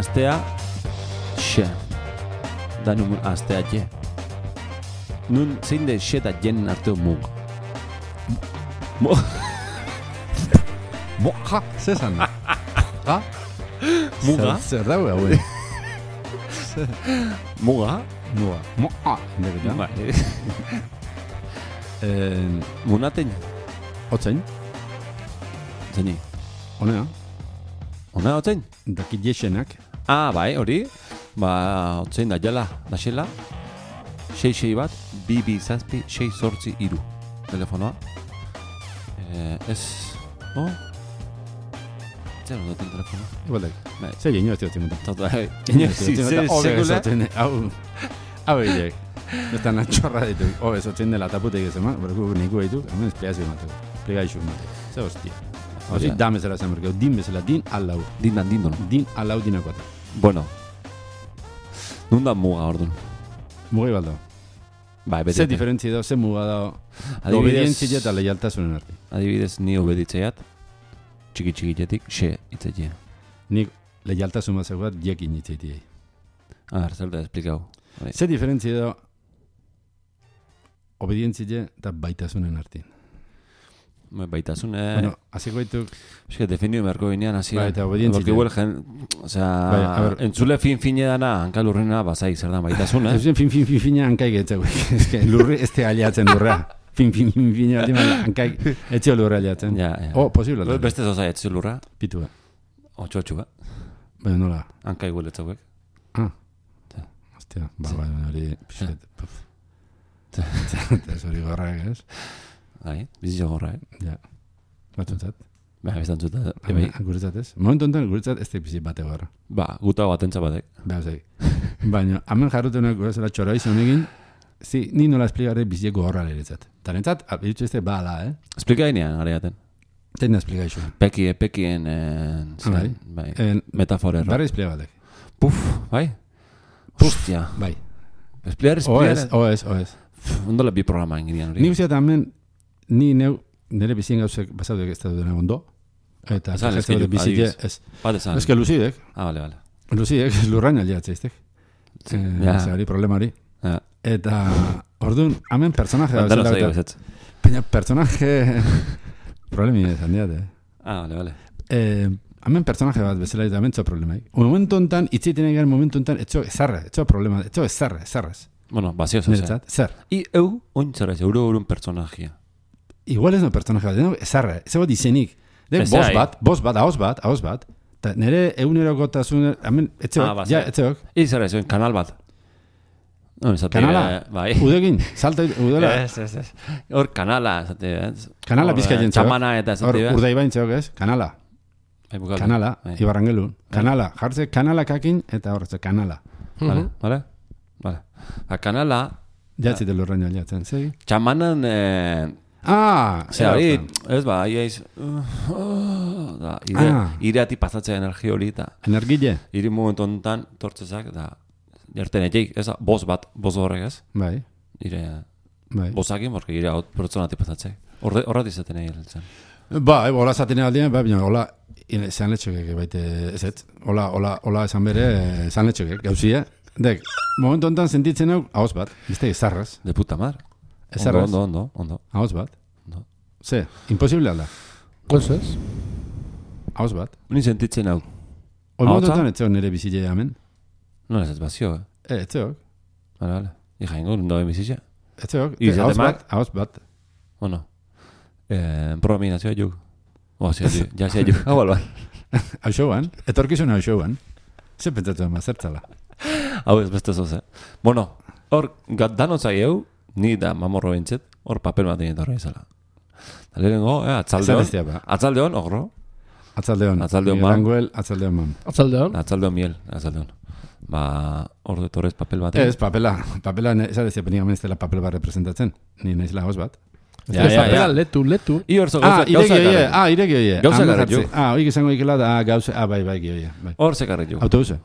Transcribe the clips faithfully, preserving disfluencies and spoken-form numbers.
astea, xe. Da nun astea je. Nun zein de xe da jen arteo mug. Mo... Moja, zesan. Ha? Muga? Zer dago hauen? Muga? Muga. Moja. Indeketa. Bai. Eh, Munaten, Otzain, zeini. honea, Ona otzein? dakit jesenak. Ah, bai, hori. Ba, otzein da jala, da xela. Sei sei bat, bi bi zazpi, sei zortzi iru. Telefonoa. Eh, ez... Oh? Zer duten telefonoa? Igualdek. Bai. Zer ino ez diotzen mutan. Tata, inoiz, ze, sekula. Hau, hau egitek. Ez da natxorra ditu. Ho, ez otzen dela taputek ez eman, berku niku ditu, hemen esplikazio emateko. Esplikazio emateko. Zer hostia. Hori, dan bezala zen berkeu. Din bezala, din alau. Dindan, dindon. Din alau dinakoata. Bueno. Nundan muga orduan. Mugi baldo. Bai, beti. Ze diferentzi edo, ze muga da Adibidez- obedientzia eta leialtasunen arte. Adibidez, ni obeditzeiat, txiki txikitetik, xe itzetie. Nik leialtasun bat zegoat jekin itzeitiei. A ber, zer da esplikau. Bai. Ze diferentzi edo obedientzia eta baitasunen artean. Bai, Baitasun, eh... Bueno, hasiko dituk, Eske, defendio beharko ginean, hasi. Bai, eta obedientzia. Porque igual, jen... Osea, Bai, a ber. entzule fin-fine dana, hankalurrena, bazai, zer da, baitasun, eh? ez fin fin fin fina hankaik etzeu. Eske lurri ez te aliatzen lurra. Fin fin fin fina baldin bada hankaik etzeo lurra aliatzen. Ja, ja. Oh, posible da. Beste zozai, etzu lurra, Pitua. otxo-otxuga, Baina nola. hankai gueletzauek. Ah. Ja. Hostia, ba, ba, hori pixet. puf. Ja. Ez hori gorrak, ez? Bai, bizitxo gorra, eh? Ja. Batzutzat. Ba, biztan zuta, ebai. Guretzat ez? Momentu enten guretzat ez da bizit bate gorra. Ba, guta batentza batek. Behar zei. Baina, hemen jarrutenak gurezela txora izan egin, zi, ni nola esplikare biziko gorra leretzat. Tarentzat, abitzu ez bala, eh? Esplika ginean, areaten. Teina esplikaizu. Peki, pekien, eh, zen, Bai. bai, En, metaforerra. Barra esplika batek. Puf, bai? Hostia. Bai. Espliar, Oez, espliar. oez, oez. Ondola bi programa inginean hori. Ni uste hemen, ni neu, nire bizien gauzek basaudek ez da dena ondo. Eta Esan, ez eske da ju- bizite, adibidez. ez. Bat esan. Ez que luzidek, Ah, vale, vale. luzidek lurraina liatzeiztek. Ja. Eh, hori problema hori. Ja. Eta, orduan, hemen personaje Bandera dauzela zaigu eta- ezetz. Baina personaje... Problemi ez, handiat, eh? Ah, vale, vale. Eh, hemen personaje bat bezala eta hemen txo problemaik. Momentu enten, itzeiten egan momentu enten, etxo ezarra, etxo problema, etxo ezarra, ezarraz. Bueno, bazio zozea. Niretzat, zer. I eu, ointzara ez, euro eurun pertsonajia. Igual ez no personaje bat, no, ezarra, ez bat izenik. De, Ez boz ai. bat, boz bat, haoz bat, haoz bat. Ta nire egunerokotasun, hemen, Ah, etxeok, bazio. ja, etxeok. I zara ez, kanal bat. No, esate, Kanala? eh, bai. Udegin, salta, udela. Ez, ez, ez. Hor kanala, esate, ez. Kanala Hor, pizka eh, jentzeok. Txamana eta Hor, esate, urdai baintzeok ez, kanala. Bai, bukaldu. Kanala, Bai. Ibarrangelun. Kanala, jartze kanala kakin eta horretze kanala. Vale, vale. Vale. Ba, kanala, Jatzite lurraino aliatzen, zegi? txamanan, eh, Ah, Zer, hori, ez ba, iaiz, uh, da, ire, Ah. ireati pasatzea energia hori, eta Energile? iri momentu honetan tortzezak, da, jarten etxeik, ez da, boz bat, boz horrek ez, Bai, ire, bai. bozakin, borka ire hau pertsonati pasatzea. Horret izaten egin hiltzen. Ba, ebo, hola zaten aldean, ba, baina, hola, esan letxokek, baite, ez ez, hola, hola, hola esan bere, esan letxokek, gauzia. Dek, momentu honetan sentitzen hau, haoz bat, bizte, ezarraz, De puta madre. Ondo, ezarraz, ondo, ondo, ondo. haoz bat. Ondo. Ze, imposible alda, Ez ez? haoz bat. Ni sentitzen hau. Hoi Ahotsa? momentu honetan etzeok nire bizile hemen. No ez ez bazio, eh? E, etzeok, Vale, vale. Ija ingo, noen bizitza. etzeok, Izate haoz mak? bat, haoz bat. Bueno. Eh, programinazioa juk. Oa, zia juk. Ja, zia juk. Hau alban. Hau showan, etorkizuna hau showan. Ze pentsatu ema, zertzala. Hau ez beste zoze. Bueno, hor, gat danotzai eu, ni da mamorro bintzet, hor papel bat egin horre izala. Da lehenengo, eh, atzalde hon, Esan ba. atzalde hon, ogro, Atzaldeon. Atzaldeon, Miguel ma. Anguel, atzaldeon man. Atzaldean? atzalde hon miel, atzalde hon. Ba, hor detorrez papel bat. Ez, papela. Papela, esan ez penik hemen ez dela papel bat representatzen. Ni naizela hoz bat. Ja, Ez ja, papela, ja. letu, letu. I hor zo Ah, gauza, ireki gauza oie. ekarri. Ah, ireki oie. Gauza Ah, ekarri jartze. jo. Ah, oik izango ikela da gauza. Ah, bai, bai, oie. Bai. Hor zekarri jo. Autobusa.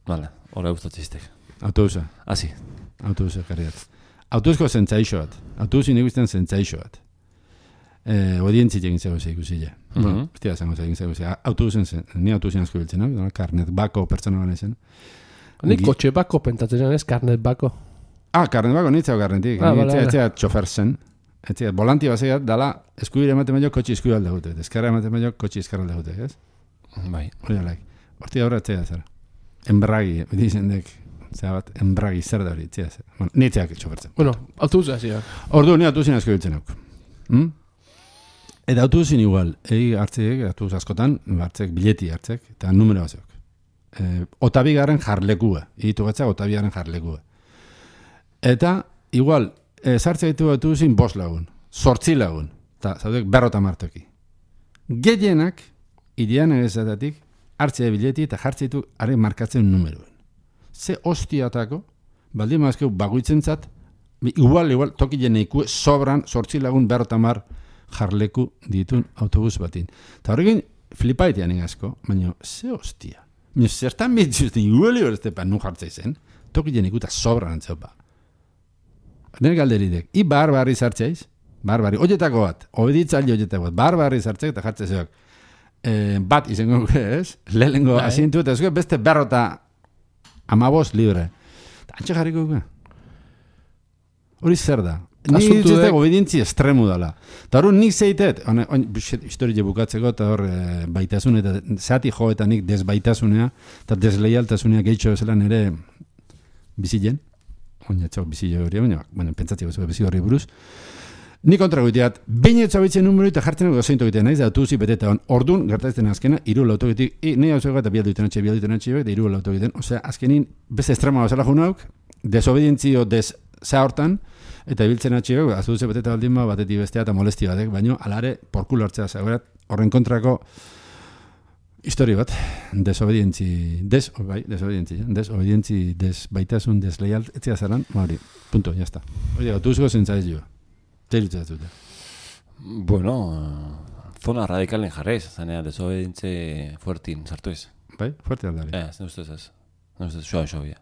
Vale, hor eustatzistek. Autobusa. Asi. Autobusa karriat. Autobusko zentzaixo bat. Autobusin ikusten zentzaixo bat. eh, odientzi egin zegoze ikusi je. Mm -hmm. Bueno, bestia zango egin zegoze. Autobusen zen, ni autobusen asko biltzen, no? Karnet bako pertsona bane zen. Ni kotxe bako pentatzen ez, karnet bako. Ah, karnet bako nitzau karnetik. Ah, ni vale, etzea vale. Txofer zen. Etzea, volanti bazea dala, eskubire ematen baino kotxe eskubire alde gute. Eskarra ematen baino kotxe eskarra alde gute, ez? Bai. Hori alaik. Horti aurra etzea zara. Enbragi, dizen dek, zera bat, enbragi zer da hori, etzea zera. Bueno, nitzeak txofertzen. Bueno, autobusa hasiak. Ordu, ni autobusin asko biltzen auk. Hmm? Eta autobusin igual, egi hartzeek, autobus askotan, hartzek, bileti hartzek, eta numero bazeok. E, otabigaren jarlekua, egitu gatzak otabigaren jarlekua. Eta, igual, e, sartze ditu autobusin bost lagun, sortzi lagun, eta zaudek berrota martoki. Gehienak, idean egezatatik, hartzea bileti eta jartze ditu are markatzen numeroen. Ze hostiatako, baldin mazkeu baguitzen zat, igual, igual, toki jeneikue, sobran, sortzi lagun berrota mar jarleku ditun autobus batin. Eta horrekin, flipaitean egazko, baina, ze hostia. Baina, zertan bitzuzten, igual, igual, ez tepa, nun jartzea zen, toki jeneikue eta sobran antzeupa. Nire galderidek, i bar barri zartzeiz, bar barri, oietako bat, obeditzaile oietako bat, bar barri zartzeik eta jartzea zeok. Eh, bat izango ez, lehengo bai. Asientu eta ezko beste berrota amabos libre. Antxe jarriko guke. Hori zer da. Ni dituzte obedientzi estremu dala. Eta hori nik zeitet, historie bukatzeko eta hor e, baitasun eta zehati jo eta nik desbaitasunea eta desleialtasunea gehitxo bezala nire bizilen. Oinatxok bizile hori, baina, baina pentsatzeko zego bizi horri buruz. Ni kontra goiteat, behin etxabitzen numero eta jartzen dugu zeintu egiten naiz, da tuzi beteta hon. Ordun gertatzen azkena, iru lauto egiten, i, nahi hau zego eta bialdu iten atxe, bialdu iten atxe, eta iru lauto egiten. Osea, azkenin, beste estrema bazala junauk, desobedientzio des za hortan, eta ibiltzen atxe, azuduze beteta baldin ba, batetik bestea eta molesti batek, baino, alare, porkulo hartzea zagoerat, horren kontrako histori bat, desobedientzi, des, bai, desobedientzi, desobedientzi, desbaitasun, desleial, etzia zaran, hori, punto, jazta. Hori, gatu zego zentzaiz joa. Zeritzen dute. Bueno, uh, zona radikalen jarraiz, zanea, desobedientze fuertin sartu ez. Bai, fuerte aldari. Eh, zen ustez ez. Zen ustez, soa, soa, bia.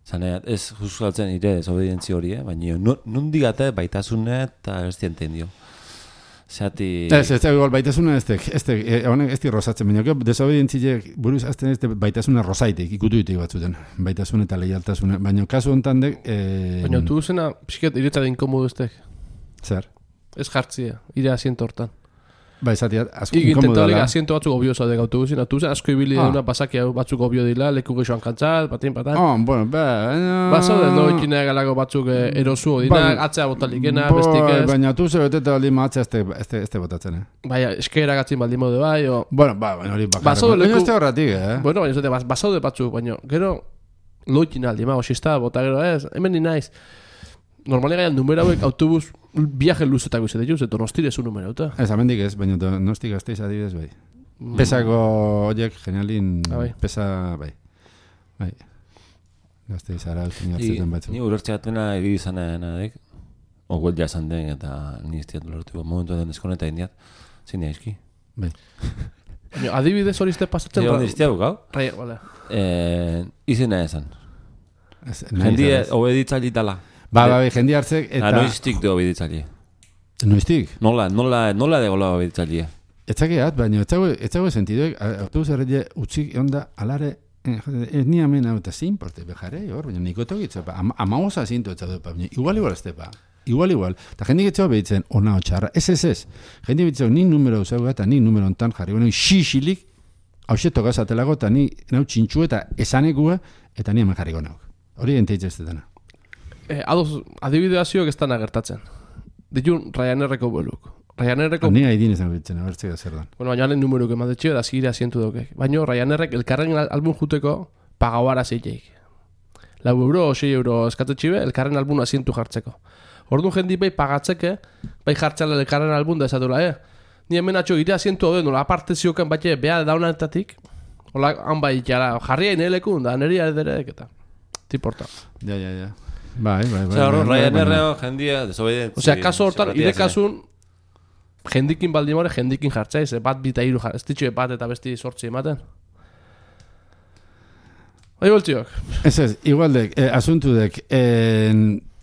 Zanea, ez juskatzen ire desobedientzi hori, eh? Baina nundigate baitasune eta ez dienten dio. Zeati... Ez, ez, igual, baitasuna ez tek, ez tek, honek ez di rosatzen, baina desobedientziek buruz azten ez baitasuna rosaitek, ikutu ditek batzuten, baitasuna eta leialtasuna, baina kasu honetan dek... Eh... Baina tu zena, pixket, iretzaren inkomodu ez tek. Zer? Ez jartzia, ire asiento hortan. Ba, esatia, asko inkomodu dela. Iginten asiento batzuk obioza dek autobusin, autobusin asko ibili ah. Duna pasakia batzuk obio dila, leku gexoan kantzat, batin patan. Oh, bueno, ba... No... Ba, zaude, no ikinea galako batzuk erosu odinak, ba, atzea botalikena, bestik ez. Baina tu zer beteta baldin atzea ez te botatzen, eh? Baina, eskera gatzin baldin mode bai, o... Bueno, ba, baina hori bakarra. Ba, zaude, leku... Baina ez te horretik, eh? Bueno, baina zaude, ba, zaude batzuk, baina, gero, loikin aldi, ma, osista, bota gero ez, hemen ni naiz. Normalia gaian numero hauek autobus viaje luzetako izate juz, eta nostire zu numero, eta? Ez, amendik ez, baina nosti gazteiz adibidez, bai. Mm. Pesako horiek, genialin, ah, bai. Pesa, bai. Bai. Gazteiz ara utzen jartzetan batzu. Ni urertxeatena egi izan edek, oguel jazan den, eta niztiat lortu, momentu den eskoneta indiat, zine aizki. Bai. Adibidez hori izte pasatzen? Zio, niztiago gau? Rai, bale. Izena esan. Jendie obeditzali dala. Ba, ba, ba, jendi hartzek eta... Noiztik de obeditzali. Noiztik? Nola, nola, nola de gola obeditzali. Etzakeat, baina etzago sentiduek, autobus erreile utzik onda alare, ez ni amen hau eta zein porte, bejare, hor, baina niko tokitza, amagoza zintu etzadu, baina igual, igual, estepa. Igual, igual. Eta jendik etxau behitzen, ona otxarra, ez, ez, ez. Jendik behitzen, nik numero usago eta nik numero ontan jarri, bueno, xixilik, hause tokazatelago, eta ni nau txintxu eta esanekua, eta ni hemen jarriko nauk. Hori enteitz ez detana. Eh, ados, adibidazioak ez dana gertatzen. Ditun, Ryanerreko boluk. Ryanerreko... Ni haidin ezan bitzen, abertzea zer dan. Bueno, baina halen numeruk emadetxio, da zigire asientu daukek. Baina Ryanerrek elkarren album juteko pagauara zeiteik. Lau euro o sei euro eskatetxibe, elkarren album asientu jartzeko. Orduan jendi bai pagatzeke, bai jartzela elkarren album da esatura, eh? Ni hemen atxo gire asientu hau den, nola aparte zioken batxe, beha daunanetatik, hola, han bai, jara, jarria inelekun, da, neria ederek, eta... Tiporta. Ja, ja, ja. Bai, bai, bai. Osea, horro, Ryanerreo jendia desobedientzi. Osea, kaso hortan, ire kasun, jendikin baldimore, jendikin jartzaiz, bat bita iru jartzaiz, ez ditxue bat eta besti sortzi ematen. Bai, boltziok. Ez ez, igualdek, eh, asuntudek, eh,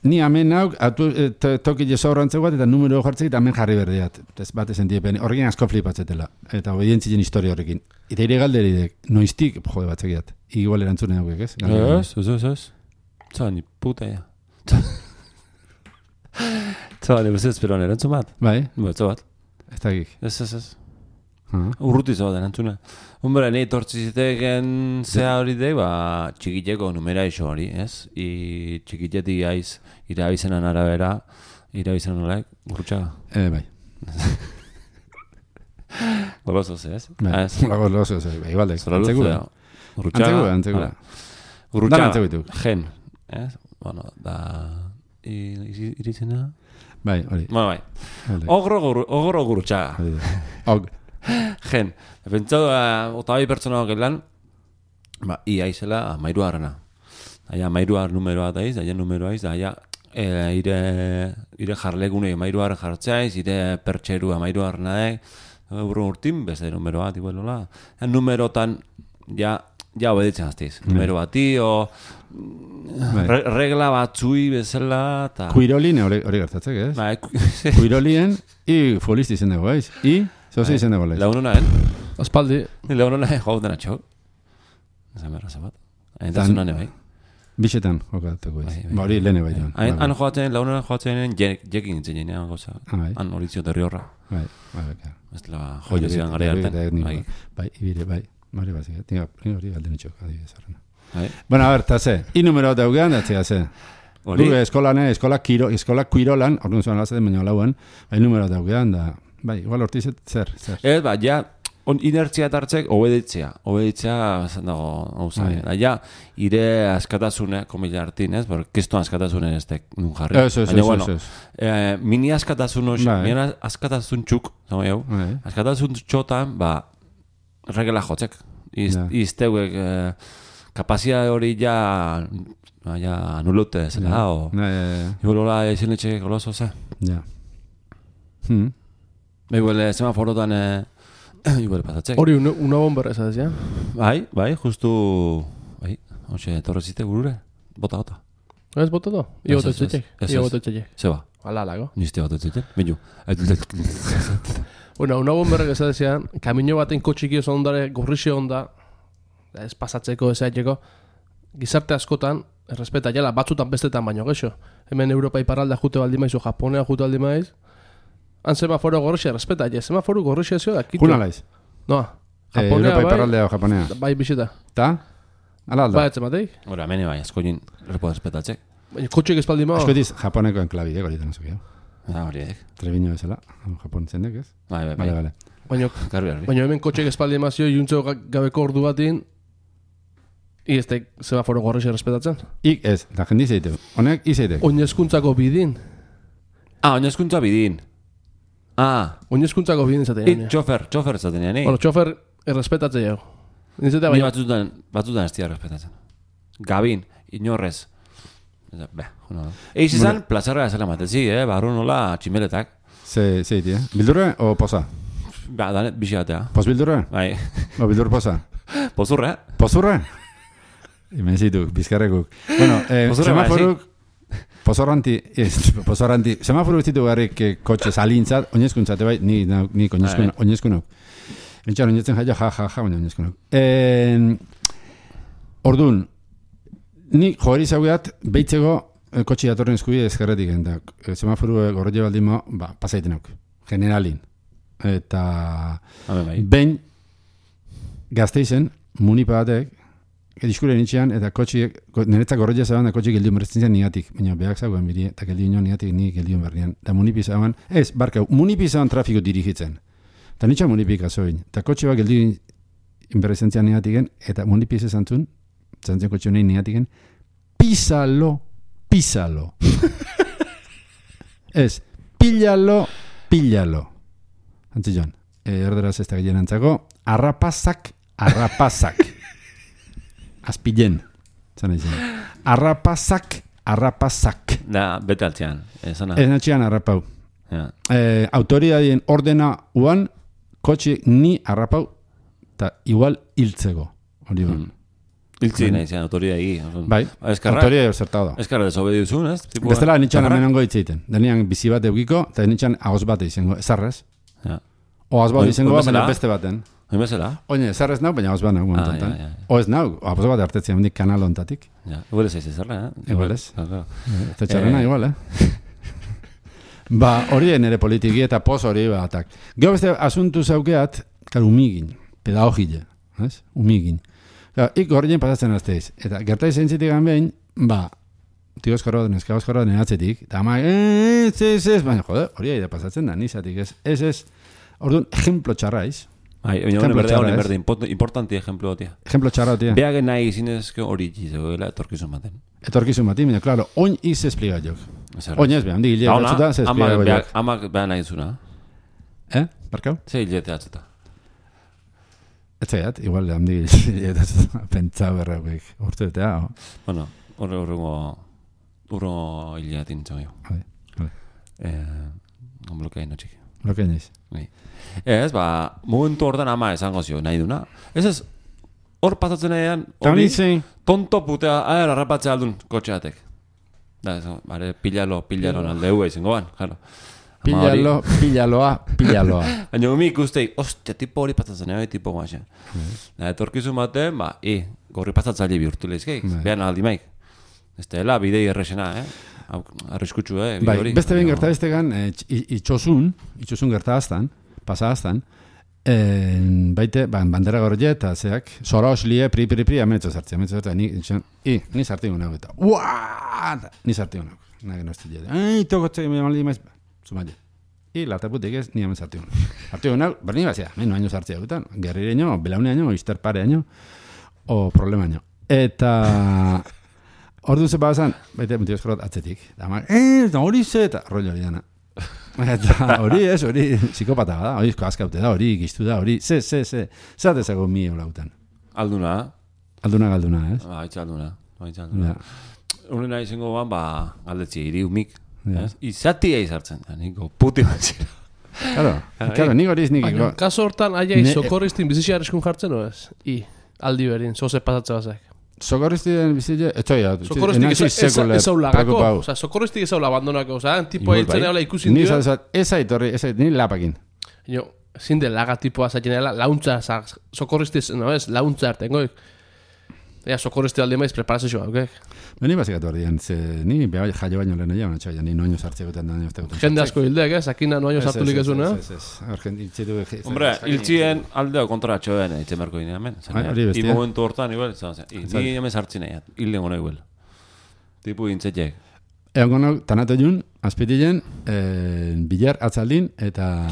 ni hemen nauk, atu, to, toki jesorrantze bat, eta numero jartzek, eta hemen jarri berdiat. Ez bate sentiepen, horrekin asko flipatzetela. Eta obedientzien historia horrekin. Eta ire galderidek, noiztik, jode batzekiat. Igual erantzunen haukek, ez? Ez, ez, ez, ez. Zaba, ni puta, ja. Zaba, ni bezez, pero erantzun bat. Bai? Betzo bat. Ez dakik. Ez, ez, ez. Uh-huh. Urruti zaba erantzuna. Hombre, nahi tortziziteken zea hori de, ba, txikiteko numera iso hori, ez? I txikitetik aiz, irabizenan arabera, irabizenan horrek, gurutxaga. Eh, bai. Goloso ze, ez? Bai, goloso ze, bai, igualdek. Zora luzea. Gurutxaga. Antzeko, antzeko. Gurutxaga, gen, ez? Bueno, da... Irizena? Bai, hori. Bueno, bai. Ogro gurutxaga. Og. Gen, pentsatu, otabai pertsona hokelan, ba, ia izela amairu harrena. Aia amairu har numeroa daiz, aia numeroa iz, aia e, ire, ire jarlegune amairu har jartzaiz, ire pertxeru amairu harrena daik, burro urtin, beste numeroa, tipo nola. Ja, numerotan, ja, ja obeditzen aztiz. Mm. Numero bati, o re, regla batzui bezala, ta... Kuirolin hori gertatzek, ez? Ba, Kuirolien, i futbolisti izen dago, ez? I... Zozi izen dago lez. Launona, eh? Aspaldi. Launona, eh? Joa dena txok. Ezan berra zabat. Aintasunan ebai. Bixetan jokatuko ez. Ba hori lehene bai. Han joatzen, launona joatzen jekin nintzen jenean goza. Han hori zio terri horra. Bai, bai, bai. Ez la joio zidan gara hartan. Bai, ibire, bai. Mari bat zikat. Tinga, hori galden txok. Bueno, a ver, ta ze. I numero bat daugean, datzea ze. Gure eskolane, eskola kuirolan, orduan zuan lazaten baina lauan, bai numero bat daugean, da... Bai, igual hortizet, zer, zer. Ez, ba, ja, on inertzia tartzek, obeditzea. Obeditzea, zan dago, hau zain. Ja, ire askatasune, komila hartin, ez? Bor, kisto askatasune ez tek nun jarri. Ez, ez, ez, ez. Eh, mini askatasun hox, mini askatasun txuk, zama jau, askatasun txotan, ba, regela jotzek. Iz, izteuek, eh, kapazia hori ja, ja, anulute, zela, o... Ibolola, ezin letxe goloso, ze? Ja. Hmm. Igual semaforotan igual pasatzek. Hori una, una bomba esa ya. Bai, bai, justu bai, hoxe torrezite gurure. Bota bota. Ez bota do. Io bota txek. Io bota txek. Se va. Hala lago. Niste bota txek. Beniu. Bueno, una bomba esa decía, camino baten kotxiki oso ondare gorrixe onda. Ez pasatzeko esaiteko. Gizarte askotan errespeta jala batzutan bestetan baino gexo. Hemen Europa iparralda jute baldimaiz o Japonea jute baldimaiz. Han semaforo gorrixe respeta, ja, semaforo gorrixe zio da, kitu. Kuna laiz? Noa, Japonea Europa iparraldea o Japonea. Bai, bisita. Ta? Ala alda? Bai, etzematei. Hora, mene bai, askoin repo respetatzek. Baina, kotxek espaldi mao. Asko diz, Japoneko enklabi, eh, gorita nazo gehiago. Ah, horiek. Trebiño bezala, Japon zendek, ez? Bai, bai, bai. Vale, vale. Baina, baina hemen kotxek espaldi mazio, juntzeo gabeko ordu batin, I ez teik semaforo gorrixe respetatzen? Ik ez, da jendi zeitek. Honek izeitek. Oinezkuntzako bidin. Ah, oinezkuntza bidin. Ah. Oinezkuntzako bidin zaten janean. Txofer, txofer zaten janean. Bueno, txofer errespetatzen jau. Ni batzutan, batzutan ez tia respetatzen. Gabin, inorrez. Be, juna. Eiz izan, plazarra ezela matezi, eh? Barru nola tximeletak. Ze, zeiti, eh? Bildurre o posa? Ba, danet, bixi batea. Pos bildurre? Bai. O bildur posa? Pozurre. Pozurre? Hemen zitu, bizkarrekuk. Bueno, eh, semaforuk... Pozorranti, ez, pozorranti. Semaforu ez ditu garrik kotxe salintzat, oinezkuntzate bai, ni, ni oinezkunok. Oinezkunok. Entxan, oinetzen jaio, ja, ja, ja, baina oinezkunok. Orduan, ni joari zaugeat, behitzeko kotxe datorren eskubi ezkerretik. Semaforu gorrote baldimo, ba, pasaitenok. Generalin. Eta... Behin, gazteizen, munipa batek, diskuren itxean, eta kotxiek, niretzak gorroia zaban, da kotxiek geldion berretzen zen niatik, baina behak zagoen biri, eta geldion niatik ni geldion berrian. Da munipi zaban, ez, barkau, munipi zaban trafiko dirigitzen. Eta nitxan munipik azoin. Eta kotxe bat geldion berretzen zen niatiken, eta munipi ez zantzun, zantzen kotxe honein niatiken, písalo, písalo. Ez, píllalo, píllalo. Antzi joan, erderaz ez da gehien antzako, arrapazak, arrapazak. Azpilen, zan egin. Arrapazak, arrapazak. Da, bete altzean. Ez natxean arrapau. Ja. Eh, autoridadien ordena uan, kotxe ni arrapau, eta igual hiltzeko. Hori ban. Mm. Iltzi nahi zean, autoria egi. Bai, autoria zertau da. Eskarra desobedi duzun, ez? Bestela nitxan amenongo hitzeiten. Denian bizi bat eukiko, eta nitxan agoz bat izango, ezarrez. O agoz bat izango, baina beste baten. Oin bezala? Oine, ezarrez nau, baina agoz bat nau. O ez nau, agoz bat hartetzen hendik kanal ontatik. Igual ez ez ezarra, eh? Igual ez. Eta txarrena, igual, eh? Ba, hori nere politiki eta pos hori batak. Gero beste asuntu zaukeat, kar umigin, pedagogile, ez? Umigin. Ik horrein pasatzen azteiz. Eta gertai zentzitik behin, ba, tio eskorro, neska eskorro denatzetik, eta ama, ez, ez, ez, baina, jode, hori aida pasatzen da, nizatik, ez, ez, ez. Orduan, ejemplo txarraiz. Ai, baina hori berde, hori berde, importanti ejemplo gotia. Ejemplo txarra gotia. Beagen nahi zinezko hori gizegoela etorkizun baten. Etorkizun baten, baina, klaro, oin iz espliga jok. Oin ez behan, di hilete atzuta, ze espliga jok. Amak behan nahi zuna. Eh, barkau? Ze hilete atzuta. Ez zaiat, igual, handi pentsa berrauek urteetea. Bueno, horre horrengo urrengo hileatin txau jo. Vale, vale. On blokeain no txiki. Blokeain ez. Ez, ba, momentu hortan ama esango zio, nahi duna. Ez ez, hor pasatzen nahian, hori, tonto putea, aher, arrapatzea aldun kotxeatek. Da, ez, bare, pilalo, pilalo nalde hua izango ban, jaro. Pillalo, pillaloa, pillaloa. Baina umi ikustei, ostia, tipo hori pasatzen nahi, tipo guaxen. Da, etorkizun baten, ba, i, gorri pasatzaile bihurtu lehizkeik, behan aldi maik. Ez dela, bidei errexena, eh? Arriskutsu, eh? Bai, beste behin gerta bestegan, itxosun, itxosun gerta aztan, pasa aztan, baite, bandera gorje eta zeak, zora oslie, pri, pri, pri, ametxo zartzea, ametxo zartzea, ni, i, ni zartiu nago eta, uaa, ni zartiu nago, nago no estilea, ai, tokotxe, me maldi maiz, zumaile. I la taputik ez, ni hemen zartiu nago. Zartiu nago, berni bazia, menu año zartzea gutan, gerrireño, belaune año, isterpare año, o problema año. Eta... Ordu ze bazan, baita mutio eskorot atzetik. Da mar, eh, hori ze, eta rollo hori dana. Eta hori ez, hori psikopata da, hori askaute da, hori giztu da, hori, ze, ze, ze, zatezago mi eulautan. Alduna. Alduna galduna, ez? Ba, itxa alduna, itxa alduna. Horren nahi zengo ban, ba, galdetzi, iri humik, ez? Izatia izartzen, da, niko puti batzera. Claro, claro, nik horiz nik... Baina, kaso hortan, aia izokorriztin bizitxea eskun jartzen, no ez? I, aldi berin, zoze pasatze bazak. Socorristik bizitze, etxoia, socorristik ez hau lagako, oza, socorristik ez hau labandonako, oza, tipo hiltzen eola ikusin dio. Ez aitorri, ez aitorri, ni lapakin. Jo, zinde laga tipoa zaten eola, launtza, socorristik, no ez, launtza artengoik. Ea, socorristik aldi maiz, preparazioa, ok? Ni bazikatu ardian, ze, ni beha jaio baino lehen egia, txaila, ni noño sartzea gutan da, jende asko hildeak, ez, akina noño sartulik ez una. Ez, ez, ez, hombre, hiltzien aldeo kontra txoen, itzen berko gine hemen. I momentu hortan, igual, ni hemen sartzen nahi, hilden gona igual. Tipu gintzetxek. Egon gona, tanato jun, azpitilen, bilar atzaldin, eta...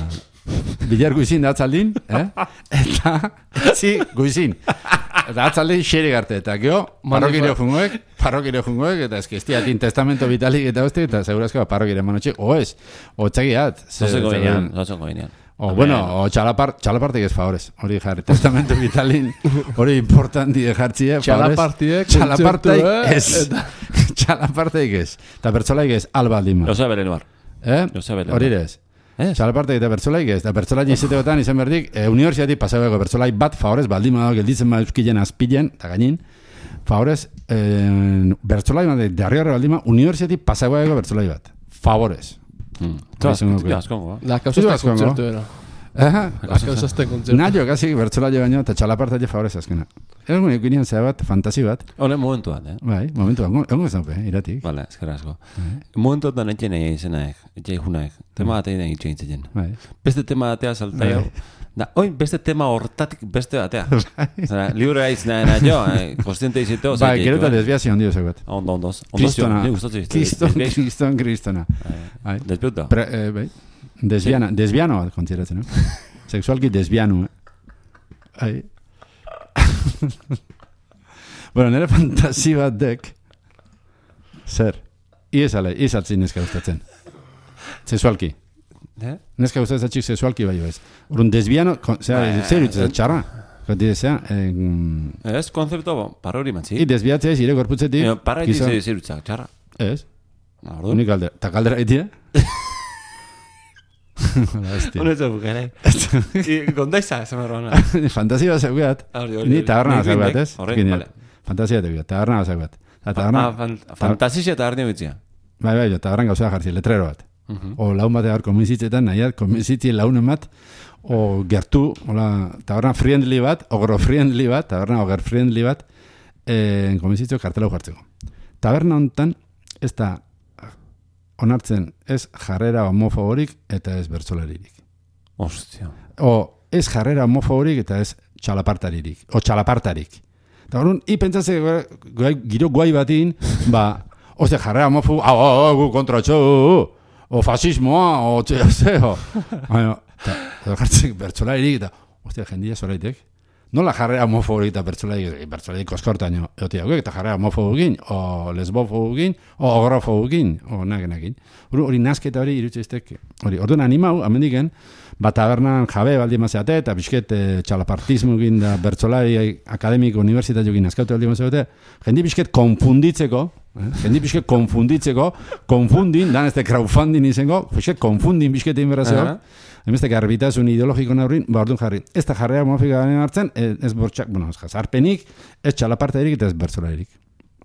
Bilar guizin da atzaldin, eh? Eta, etzi guizin. Eta atzaldin xere garte, eta geho, parrokireo jungoek, parrokireo jungoek, eta eski estiatin testamento vitalik eta hosti, eta segurazko parrokireo manotxe, o ez, o txagiat. Zozeko ginean, zozeko ginean. O, bueno, o txalapartik ez favorez, hori jarri, testamento vitalin, hori importanti de jartzie, favorez. Txalapartik ez, txalapartik ez, eta bertzolaik ez, alba aldima. Jose Belenuar. Eh? Hori ez. Txalapartik eta bertzolaik ez, eta bertzolaik izategotan izan berdik, universiatik pasabeko bertzolaik bat, favorez, baldima dago, gelditzen bat euskillen azpilen, eta gainin, favorez, bertzolaik bat, darri horre baldima, universiatik pasabeko bertzolaik bat. Favorez. La causa está concierto era. Aha, la causa está concierto. Naio casi bertsola baino eta txalapartaile favorez azkena. Egun eginen zea bat, fantasi bat. Hone momentu bat, eh? Bai, momentu bat, egun ez daupe, iratik. Vale, ezkerra asko. Momentu bat etxen egin izenaek, etxen junaek, tema bat egin egin txegin zen. Beste tema batea saltaio. Da, oin, beste tema hortatik beste batea. Zara, libre haiz nahi jo, konstiente iziteo. Ba, gero eta desbiazio ondio zegoet. Ondo, ondoz. Kristona. Kriston, kristona. Despiuta. Bai. Desbiana, desbiano bat kontiratzen, no? Sexualki desbiano, eh? Bueno, nire fantasi bat dek, zer, iezale, iezaltzin neska gustatzen. Sexualki. Eh? Neska gustatzen txik sexualki bai ez. Urun desbiano, zer dutzen txarra? Kontidezea? Ez, konzepto, parrori matzi. I desbiatzea ez, ire gorputzetik. Parra itize zer dutzen txarra. Ez. Unik aldera. Ta kaldera egitea? Honetan bukare. Gondaiza, ez amarroana. Fantasia bat zeugat. Ni taberna zeugat, ez? fantasia tegu, taberna gauza bat. Fantasizia eta harnia bitzia. Bai, bai, taberna gauza jartzi, letrero bat. O laun bat egar konbenzitzetan, nahiat, konbentzitzi launen bat, o gertu, hola, taberna friendly bat, ogro friendly bat, taberna oger friendly bat, eh, konbentzitzeo kartela jartzeko. Taberna honetan, ez da onartzen ez jarrera homofoborik eta ez bertsolaririk. Ostia. O ez jarrera homofoborik eta ez txalapartaririk. O txalapartarik. Eta horren, hi pentsatze giro guai batin, ba, oste jarrera homofobo, hau, hau, hau, kontra txo, o fasismoa, o txea zeo. Baina, eta jartzen bertsolaririk eta, ostia, jendia zoraitek. Nola jarrera homofoborik eta bertsolaririk, bertsolaririk koskortaino, eotiak, eta jarrera homofobokin, o lesbofobokin, o ogrofobokin, o nagenakin. Hori nazketa hori irutzeiztek, hori, orduan animau, amendiken, bat tabernan jabe baldi mazeate, eta bisket e, txalapartismokin da bertsolari akademiko unibertsitatiokin azkaute baldi mazeate, jendi bisket konfunditzeko, eh? jendi bisket konfunditzeko, konfundin, dan ez de crowdfunding izango, bisket konfundin bisket inberazio, uh-huh. Emezte garbitasun ideologiko naurin, ba orduan jarri, ez da jarrera homofika hartzen, ez bortxak, bueno, ez jazarpenik, ez txalapartairik eta ez bertsolaririk.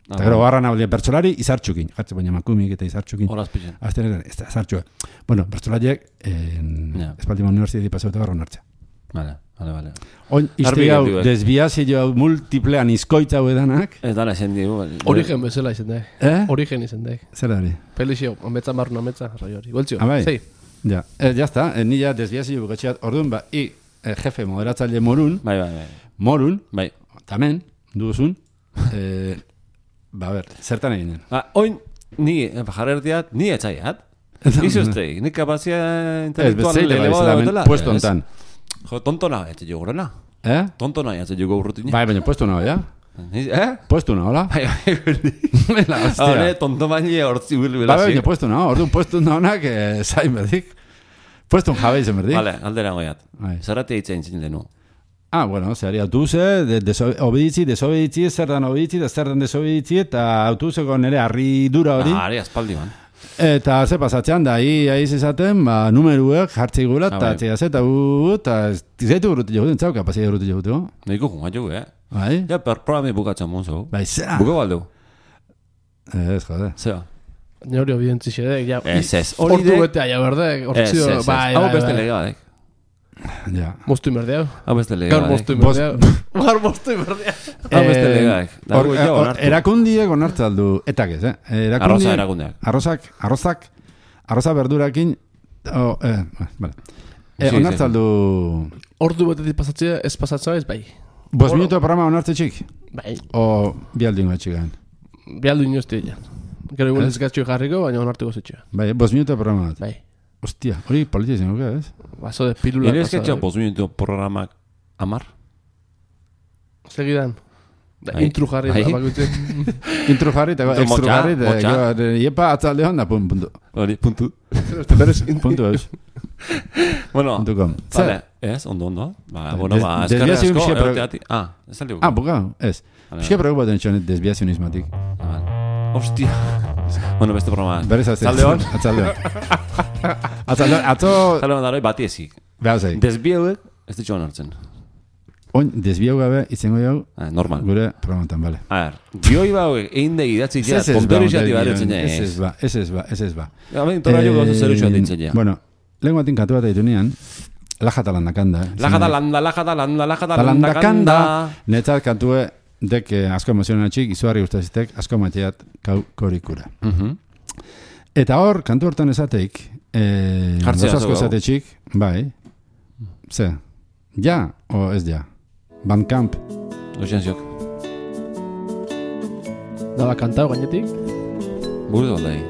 Eta gero garra nabaldia bertsolari izartxukin, jartzen baina makumik eta izartxukin. Horaz pixen. Azten ez da, izartxua. Bueno, bertsolariek, yeah. Espaldima universiteti pasauta barron hartzea. Vale, vale, vale. Oin, izte hau, desbiazio multiplean izkoitza hau edanak. Ez dara esan digu. Origen bezala izan daik. Eh? Origen izan daik. Zer da hori? Pelixio, ametza marrun ametza, arrai hori. Boltzio, ah, bai. zei. Ja, eh, ya está, eh, ni ya desbiazio bukatxeat, orduan, ba, i, eh, jefe moderatzaile morun, bai, bai, bai. morun, bai. Tamen, duzun, eh, ba, ber, zertan eginen. Ba, oin, ni, jarrertiat, ni etxaiat. Izuztei, ni kapazia intelektual elebado dela. Puesto ontan. Jo, tontona, etxe jo gurena. Eh? Tontona, etxe jo gurrutin. Bai, baina puesto no, ja? Eh? Puesto no, hola? Bai, bai, berdi. Bela, hostia. Hone, tonto baini hortzi huil bila. Bai, baina puesto no, orduan puesto no honak, eh, zain berdik. Puesto un jabe izan berdik. Vale, aldera goiat. Zerratea itzein zin denu. Ah, bueno, zehari autobuze, de, de, obeditzi, desobeditzi, zer dan obeditzi, da zer dan desobeditzi, eta autobuzeko nire arridura hori. Ah, ari aspaldi man. Eta ze pasatzean, da, hi aiz izaten, ba, numeruek jartzi gula, eta txea ze, eta gu, eta zaitu gurutu jaguten, zau kapazia gurutu jaguteko. Nahiko junga jogu, eh? Bai? Ja, per programi bukatzen monzo. Bai, zera. Buka baldeu. Ez, jode. Zera. Ni hori obidentzi xedek, ja. Ez, ez. Hortu betea, ja, berdek. Ez, ez, ez. Hau beste legadek. Ja. Mostu imerdea. Hau beste legadek. Gaur mostu imerdea. Gaur mostu imerdea. Hau beste legadek. Erakundiek onartu aldu, etak ez, eh? Arroza erakundeak. Arrozak, arrozak, arroza berdurakin, oh, eh, vale. Onartu aldu... Ordu betetik pasatzea, ez pasatzea ez, bai. Bos minuto programa onartu txik? Bai. O bialdin bat txikan? Bialdin jozti ja. Gero igual ez gaztxo jarriko, baina onartuko zetxo. Bai, bos minuto programa bat? Bai. Ostia, hori politia zen, oke, ez? Baso de pilula. Ere ez gaztxo bos minuto programak amar? Segidan. Intru jarri. Intru jarri eta extru jarri. Iepa atzalde hon da, puntu. Hori, puntu. Puntu eus. Bueno, vale, ez, ondo, ondo. Ba, bueno, ba, eskerre asko, eoteati. Ah, ez aldi buka. Ah, buka, ez. Pixka preocupaten txonet desbiazionismatik. Hostia. Bueno, beste programa. Berez azte. Atzalde hon? Atzalde hon. Atzalde hon, atzo... Atzalde hon daroi bati ezik. Behau zei. Desbiauek, ez ditxo honartzen. Oin, desbiau gabe, izango jau... Ah, normal. Gure programatan, bale. A ver, bioi bauek, egin degi idatzi dira, tontero izati baretzen ja, ez. Ez ez ba, ez ez ba, ez ez ba. Gamen, tora jo gauza zer utxoa dintzen ja. Bueno, lehen batin katu bat ditu nian, lajata landakanda. Lajata landa, lajata landa, lajata landakanda. Netzat kantue, dek asko emozionan txik, izugarri guztazitek, asko mateat kau korikura. Eta hor, kantu hortan esateik, goz asko esate txik, bai, ze, ja o ez ja? Bandcamp. Oixen ziok. Daba kantau gainetik? Burde gondai.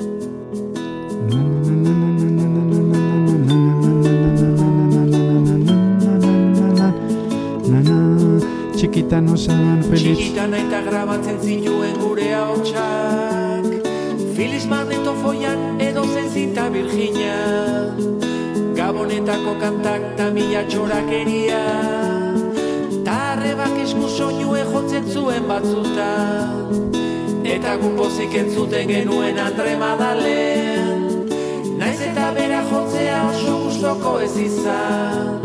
Txikita nosan feliz. Txikita naita grabatzen zituen gure haotxak. Filiz magnetofoian edo zenzita Virginia. Gabonetako kantak ta mila txorakeria. Tarrebak esku soinue jotzen zuen batzuta. Eta gupozik entzuten genuen Andre Madalen. Naiz eta bera jotzea oso gustoko ez izan.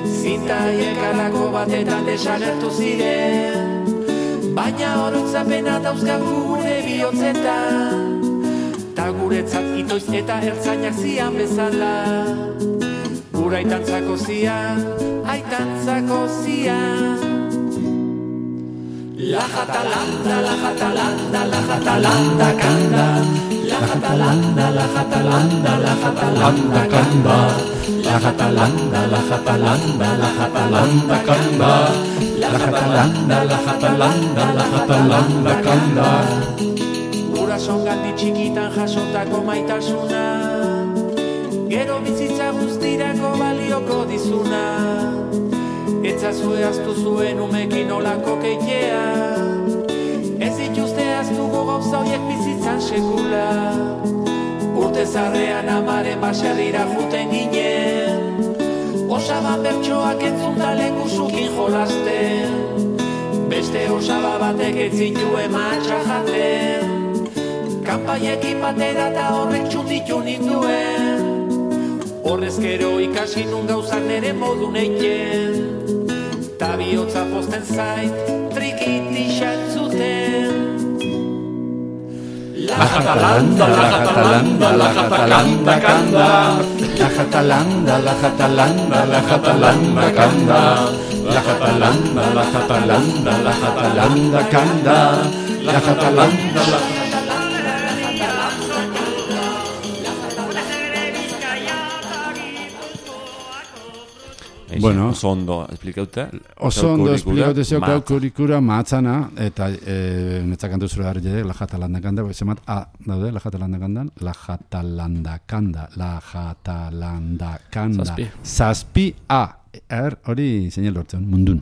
Zinta haiek alako batetan desagertu ziren. baina oroitzapena dauzkagu gure bihotzetan, ta guretzat itoiz eta ertzainak zian bezala. Gura aitantzako zian, aitantzako zian. La jatalanda, la jatalanda, la jatalanda kanda. La jatalanda, la jatalanda, la jatalanda kanda. La jatalanda, la jatalanda, la jatalanda kanda. La jatalanda, la jatalanda, la jatalanda kanda. Gurasoengandik txikitan jasotako maitasuna, gero bizitza guztirako balioko dizuna. Etzazue aztu zuen umekin olako keitea, ez dituzte aztuko gauza hoiek bizitzan sekula. Urte zarrean amaren baserrira juten ginen, osaban bertsoak entzunda lengusukin jolasten. Beste osaba batek ez zituen matxa jaten, kanpaiekin batera eta horrek txunditu ninduen. Horrez gero ikasi nun gauzak nere modu neiten, ta bihotza posten zait trikitixan zuten. La jatalanda, la jatalanda, la jatalanda kanda. La jatalanda, la jatalanda, la jatalanda kanda. La jatalanda, la jatalanda, la jatalanda kanda. La jatalanda, la Bueno, oso ondo esplikaute. Oso ondo esplikaute zeo kaukurikura mahatzana, eta e, netzak kantu zure harri jedek, la jatalanda kanda, zemat A daude, la jatalanda kandan, la jatalanda kanda, la jatalanda kanda. Zazpi. Zazpi A. Er, hori zeinel lortzen, mundun.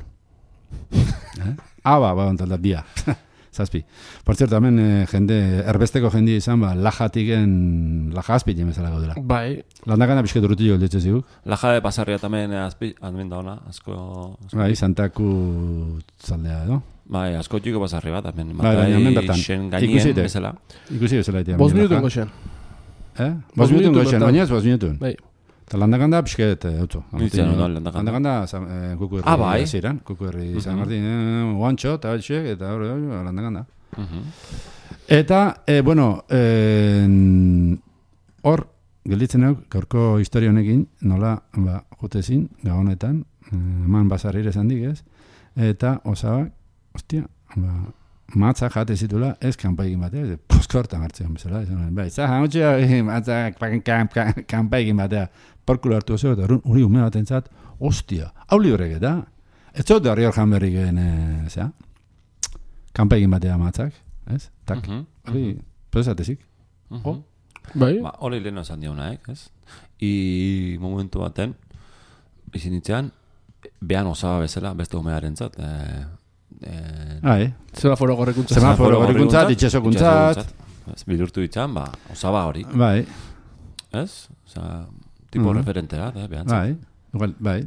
eh? A ba, ba, ontalda, bia. Zazpi. Por cierto, hemen eh, jende, erbesteko jende izan, ba, lajatiken, lajazpi jemezala gaudela. Bai. Landakana pixket urrutillo geldetxe ziguk. Laja de pasarria tamen azpi, admen da ona, asko... asko Bai, Santaku zaldea edo. bai, asko txiko pasarri bat, amen. Bai, baina hemen bertan. Xen Ikusi gainien, ite. bezala. Ikusi bezala itea. Bost minutun goxen. Eh? Bost minutun minutun goxen, bertan. baina ez bost minutun. Bai. Eta landakanda pixket, eutzu. Nintzen ondo, landakanda. Landakanda, kuku herri Ah, bai. ziren, kuku herri San Martin, guantxo, eta batxek, eta hori, landakanda. Eta, eh, bueno, eh, hor, gelditzen hau, gaurko historia honekin, nola, ba, jutezin, gabonetan, eh, eman basarrire esan dik ez, eta osabak, ostia, ba, matza jate zitula, ez kanpaigin batea, ez, poskorta martzean bezala, ez, bai, za, hamotxea, matza, kanpaigin batea, porkulo hartu zeu, eta hori ume bat entzat, ostia, hau librek eta, ez zot da hori hor janberrik egin, zera, kanpaigin batea matzak, ez, tak, hori, podezatezik, oh, Bai. Ba, hori leheno esan diona, ez? I momentu baten, izin nitzean, behan osaba bezala, beste umearen zat, eh, eh, Ai, Semaforo gorrekuntza. semaforo gorrikuntzat, itxesokuntzat, bidurtu ditzan, ba, osaba hori, bai, ez? Osa, tipo Mhm. referentera, eh, behan zat. bai, igual, bai,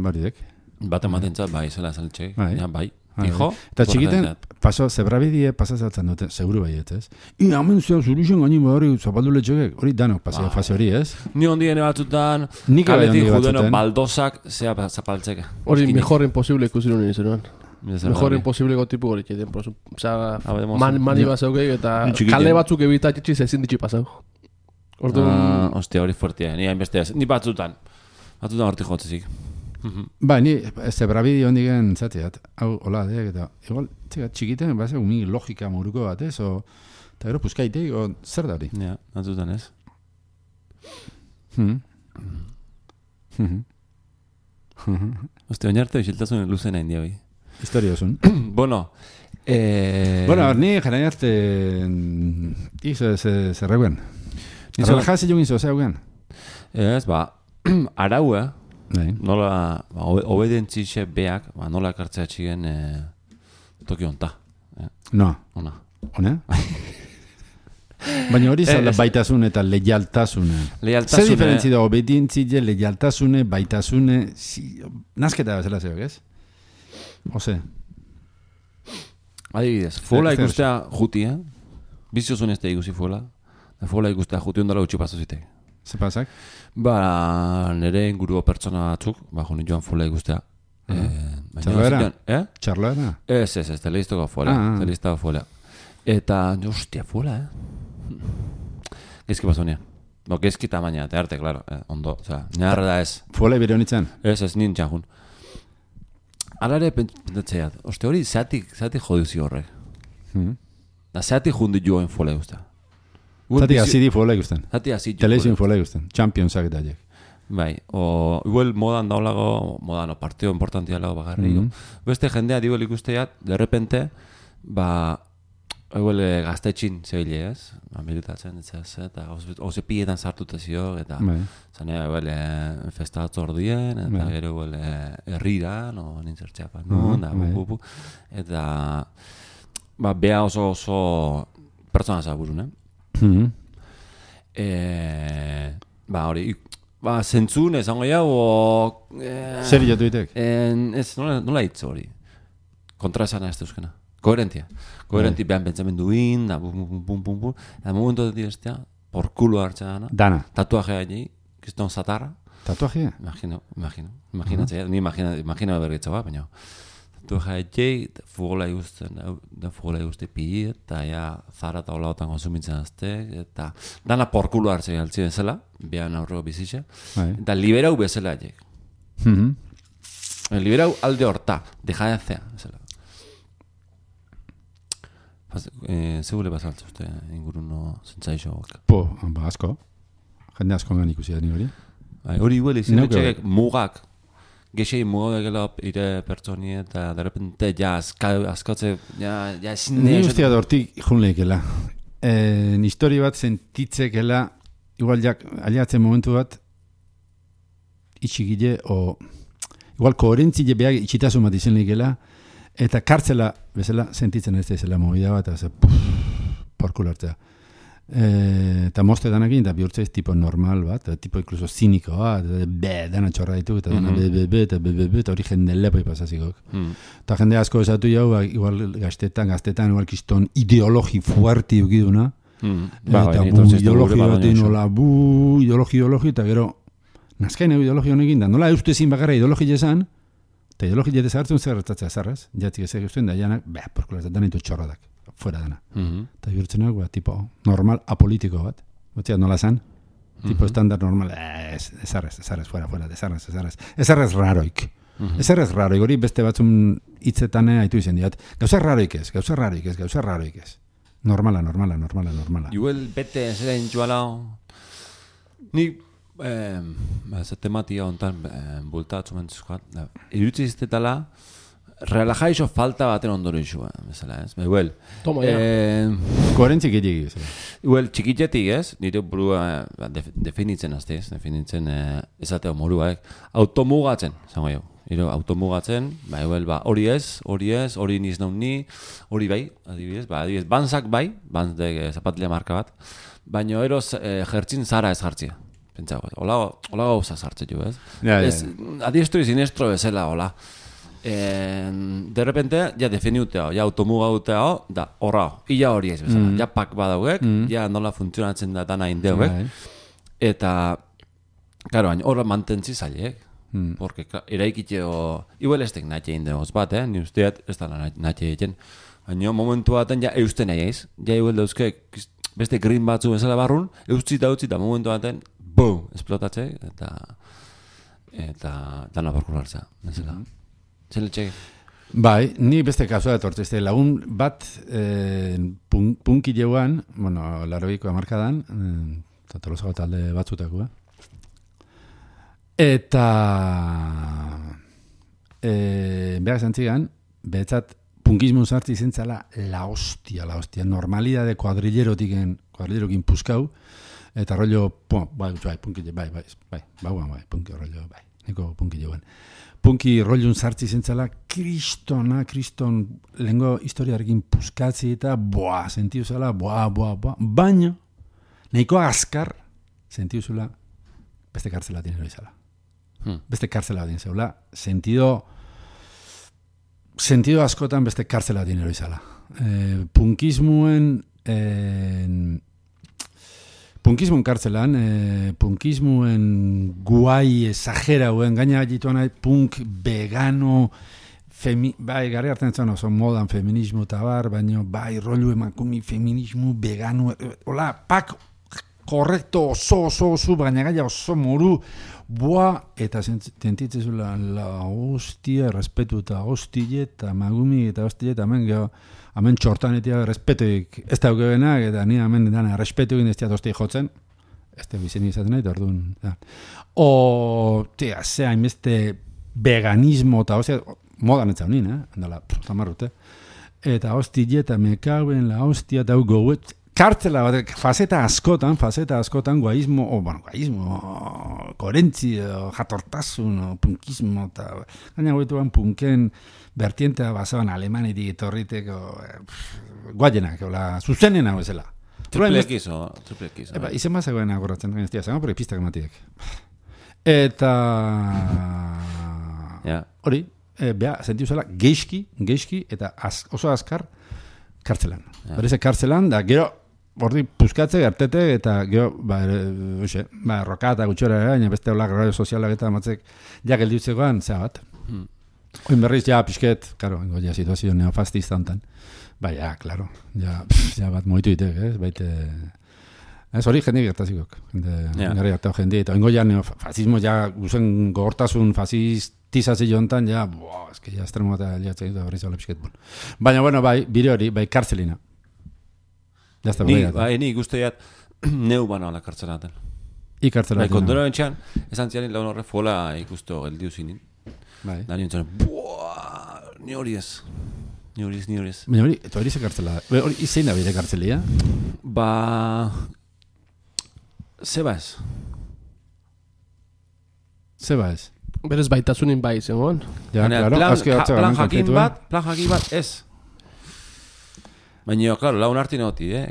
baridek. Bat ematen zat, bai, zela esan etxek, Bai. ja, bai, Bai. fijo. Eta tipo txikiten, referentea. paso, zebrabidie pasazatzen dute, seguru baiet, ez? I, hamen zuen zuruxen gainin hori zapaldu letxokek, hori danok paseo Bai. fase hori, ez? Ni ondiene batzutan, Nik bai kaletik ondi judeno batzuten. baldozak, zea zapaltzeke. Hori Eskinik. mejor imposible ikusi nuen izenuan. Mila zer Mejor hori. imposible gotipu hori txeten. Osea, Habemos- man, mani bat zeukeik eta Ni txikiten. kale batzuk ebitatxitxiz ezin ditxi pasau. Orduan, Ah, ostia, hori fuertea, ni hainbeste ez. Ni batzutan. Batzutan hortik jotzezik. Ba, ni zebrabidi hondigen zatiat, hau, hola, deak, eta, igual, txika, txikiten, base, umi logika moruko bat, ez? O, eta gero, puskaitei, o, zer da hori? Ja, batzutan ez. Hmm. Mhm. Ostia, oinarte isiltasun luzen hain dia hoi. Historia osun. Bueno, eh... Bueno, ni jarain arte, izo zerreuen. Nizo- Relajaz ilun izo zeugen. Ez, ba, arau, eh? Bai. Nola, ba, obe- obedientzixe beak, ba, nola ekartzea txigen eh, toki honta. Eh? No, Ona. hone? Baina hori zala Ez. baitasun eta leialtasune. Zer Lealtasune... diferentzi da obedientzile, leialtasune, baitasune, si, nazketa bezala zeok, ez? Ose, Adibidez, fola Zer- zer- ikustea juti, eh? Biziozun ez da ikusi fola. Da fola ikustea juti ondala utxi paso zitek. ze pasak? Ba, nire inguruko pertsona batzuk, ba, joni joan fola ikustea. Eh, Txarloera? Eh? Txarloera? Ez, ez, ez, teleiztoko fuela. Ah, ah. Teleiztoko fuela. Eta, hostia, fuela, eh? Gezki basonia. Bo, gezki tamaina, te arte, claro. Eh, ondo, oza, neharra da ez. Fuela ibere honitzen? Ez, ez, nien txajun. Ala ere pentsatzeat, oste hori, zeatik, zeatik jodizio horrek. Hmm. Da, zeatik jundi joen fuela guzta. Zati azidi fuela ikusten. Zati azidi Teleizin fuela ikusten. Championsak eta jek. Bai, o igual modan daulago, modan, o partio importantia lago bagarri. Mhm. Beste jendea igual ikusteiat, de repente, ba, igual eh, gaztetxin zebile ez, ba, militatzen, ez, eta oze pietan sartuta zio, eta Bai. zanea, igual, eh, festatzo ordien, eta Bai. gero igual eh, herrira, no, nintzertxeapan, Mhm, no, da, bai. bu, bu, bu, eta, ba, bea oso oso pertsona zaburun, eh? Mhm. Eh, ba, hori, ba, zentzun, esango jau, o... Eh, Zer jotu itek? En, ez, nola, nola hitz hori? Kontra esana ez euskena. Koherentia. Koherenti behan pentsamenduin, da, bum, bum, bum, bum, bum. Da, momentu dut estea, por culo hartzea dana. Dana. Tatuajea egin, kiston zatarra. Tatuajea? Imagino, imagino. Imaginatzea, ni imagina, imagina berritza ba, baina. Tatuajea egin, fugola igusten, da fugola iguste pi, eta ja, zara eta hola otan konsumitzen azte, eta dana por culo hartzea galtzien zela, behan aurreko bizitza. Bai. Eta liberau bezala egin. Mhm. Liberau alde horta, dejatzea, bezala. Eh, segure bazaltza uste inguruno zentzaixoak. Po, ba, asko. Jende asko gan ikusi da ni hori. Bai, hori huele izan Neuke etxekek mugak. Gexei mugak egela ire pertsoni eta de repente ja azka, azkotze, ja, ja ezin... Ni ustea dortik jun lehikela. Eh, histori bat sentitzekela, igual jak, aliatzen momentu bat, itxigile, o... Igual koherentzile behar itxitasun bat izan lehikela, eta kartzela, bezala, sentitzen ez da izela movida bat, eta porkulo hartzea. E, eta moste danakin, eta bihurtzea ez tipo normal bat, eta tipo incluso ziniko bat, be, dana txorra ditu, eta dana be, be, be, eta be, be, be, eta hori jende lepoi pasazikok. Mm. Eta jende asko esatu jau, ba, igual gaztetan, gaztetan, igual kiston ideologi fuerti ukiduna, Mm. eta bu, ideologi bat nola, bu, ideologi, ideologi, eta gero, nazkain ideologi honekin da, nola eustezin bakarra ideologi esan, eta ideologi jetez hartzen zer hartatzea zarraz, jatzik ezek eusten da janak, beha, porkular, eta danitu txorradak, fuera dana. Mm-hmm. Eta bihurtzenak, ba, tipo, normal, apolitiko bat. Batzea, nola zan? Tipo, Mhm. estandar normal, eh, ez, ezarrez, ezarrez, fuera, fuera, ezarrez, ezarrez. Ezarrez raroik. Mhm. Ezarrez raroik, hori beste batzun hitzetan haitu izen diat. Gauza raroik ez, gauza raroik ez, gauza raroik ez. Normala, normala, normala, normala. Igual bete zera intxuala, ni, eh, ez tematia hontan eh, bultatzu mentzuzkoat, irutzi iztetala, relajaixo falta baten ondoro izua, bezala ez, igual. Toma, ja. Eh, Koherentzik egin ez. Igual, txikitetik ez, nire burua eh, def, definitzen azte ez, definitzen eh, ezateo moruak, automugatzen, zango jo. Iro, automugatzen, ba, igual, ba, hori ez, hori ez, hori niz naun ni, hori bai, adibidez, ba, adibidez, banzak bai, banz de eh, zapatila marka bat, baina eroz eh, jertzin zara ez jartzia. Pentsago, hola, hola gauza sartze jo, ez? Ja, ja, Ez, adiestro y sinestro bezala, hola. Eh, de repente, ja definiuteo, ja automuga duteo, da, horra, illa hori ez bezala, Mm. ja pak badaugek, Mm. ja nola funtzionatzen da dana indeuek, Bai. eta, karo, hain horra mantentzi zailek, Mm. porque, eraikiteo, igual ez tek natxe indegoz bat, eh? Ni usteat ez da natxe egiten, baina momentu baten ja eusten nahi eiz, ja igual dauzke beste green batzu bezala barrun, eustzi da utzi da momentu baten, boom, esplotatze, eta, eta, dana barkulartza, bezala. Mhm. Zele txek? Bai, ni beste kasua etortzeste lagun bat eh, pun, punki jeuan, bueno, larobiko amarkadan, eh, eta tolosago talde batzutakoa. Eta eh, behar esan zigan, behetzat punkismun sartzi zentzala la hostia, la hostia, normalidade kuadrillerotiken, kuadrillerokin puskau, eta rollo, po, bai, bai, punki, bai, bai, bai, bai, bai, punki rollo, bai, neko punki jeuan. Punki rollun sartzi zentzala, kristona, kriston, lehenko historiarekin puskatzi eta, boa, sentiu zela, boa, boa, boa, baina, nahiko azkar, sentiu zela, beste kartzela dinero izala. Hmm. Beste kartzela din zeula, sentido, sentido askotan beste kartzela dinero izala. Eh, punkismuen, eh, punkismuen kartzelan, eh, punkismuen guai exagerauen, gaina jituan nahi punk vegano, Femi, bai, gari hartzen zen oso modan feminismo eta bar, baina bai, rollo emakumi, feminismo, vegano, hola, pak, korrekto, oso, oso, oso, baina gaia oso moru, boa, eta sentitzen la, la hostia, respetu eta hostile, eta magumi eta hostile, eta hemen geho, hemen txortanetia respetuik, ez da aukebenak, eta ni hemen dana, respetuik ez da hostia jotzen, ez da bizen izaten nahi, orduan, ja. O, tia, zea, inbeste veganismo, eta hostia, modan etza honin, eh? Andala, tamarrute. Eta hostile, eta mekauen, la hostia, eta goet, kartzela bat, fazeta askotan, fazeta askotan, guaismo, o, bueno, guaismo, korentzio, jatortasun, o, punkismo, eta gaina goetuan punken vertientea basaban alemanetik etorriteko, eh, guaienak, ola, zuzenen hau ezela. Triple X, o, triple X. Eba, izen bazagoen agorratzen, ez dira, zago, porque pistak ematiek. Eta... Ja. Hori, e, beha, sentiu zela, geixki, geixki, eta az, oso azkar, kartzelan. Ja. Bereze kartzelan, da gero, ordi puskatze, gertete, eta gero, ba, oxe, ba, roka eta gutxora, baina beste olak radio sozialak eta matzek, ja geldiutzekoan, zea bat. Hmm. Oin berriz, ja, pixket, karo, ingo, ja, situazio neofastista hontan. Ba, ja, klaro, ja, pff, ja bat moitu ditek, ez, baite... Ez hori jendik gertazikok, jende, yeah. Garri hartau jendi, eta ingo ja, neofasismo, ja, guzen gogortasun fasistizazio hontan, ja, buah, ez que ja, estremo bat aliatzen dut, berriz hau pixket, bon. Baina, bueno, bai, bire hori, bai, kartzelina. Jazta, ni, bai, ni guztiat, neu bana la kartzelaten. I kartzelaten. Bai, kondoro entxan, esan zianin laun horre fola ikusto geldiu zinin. Bai. Da nien zaren, buah, ni hori ez. Ni hori ez, ni hori ez. Baina hori, eta hori ze kartzela, hori izein da bide kartzelia? Ba... Zeba ez. Zeba ez. Berez baitasunin bai zengoen. Ja, Baina, claro, plan, azke ha, batza plan gamen jakin konkretua. bat, plan jakin bat ez. Baina, klaro, laun harti noti, eh?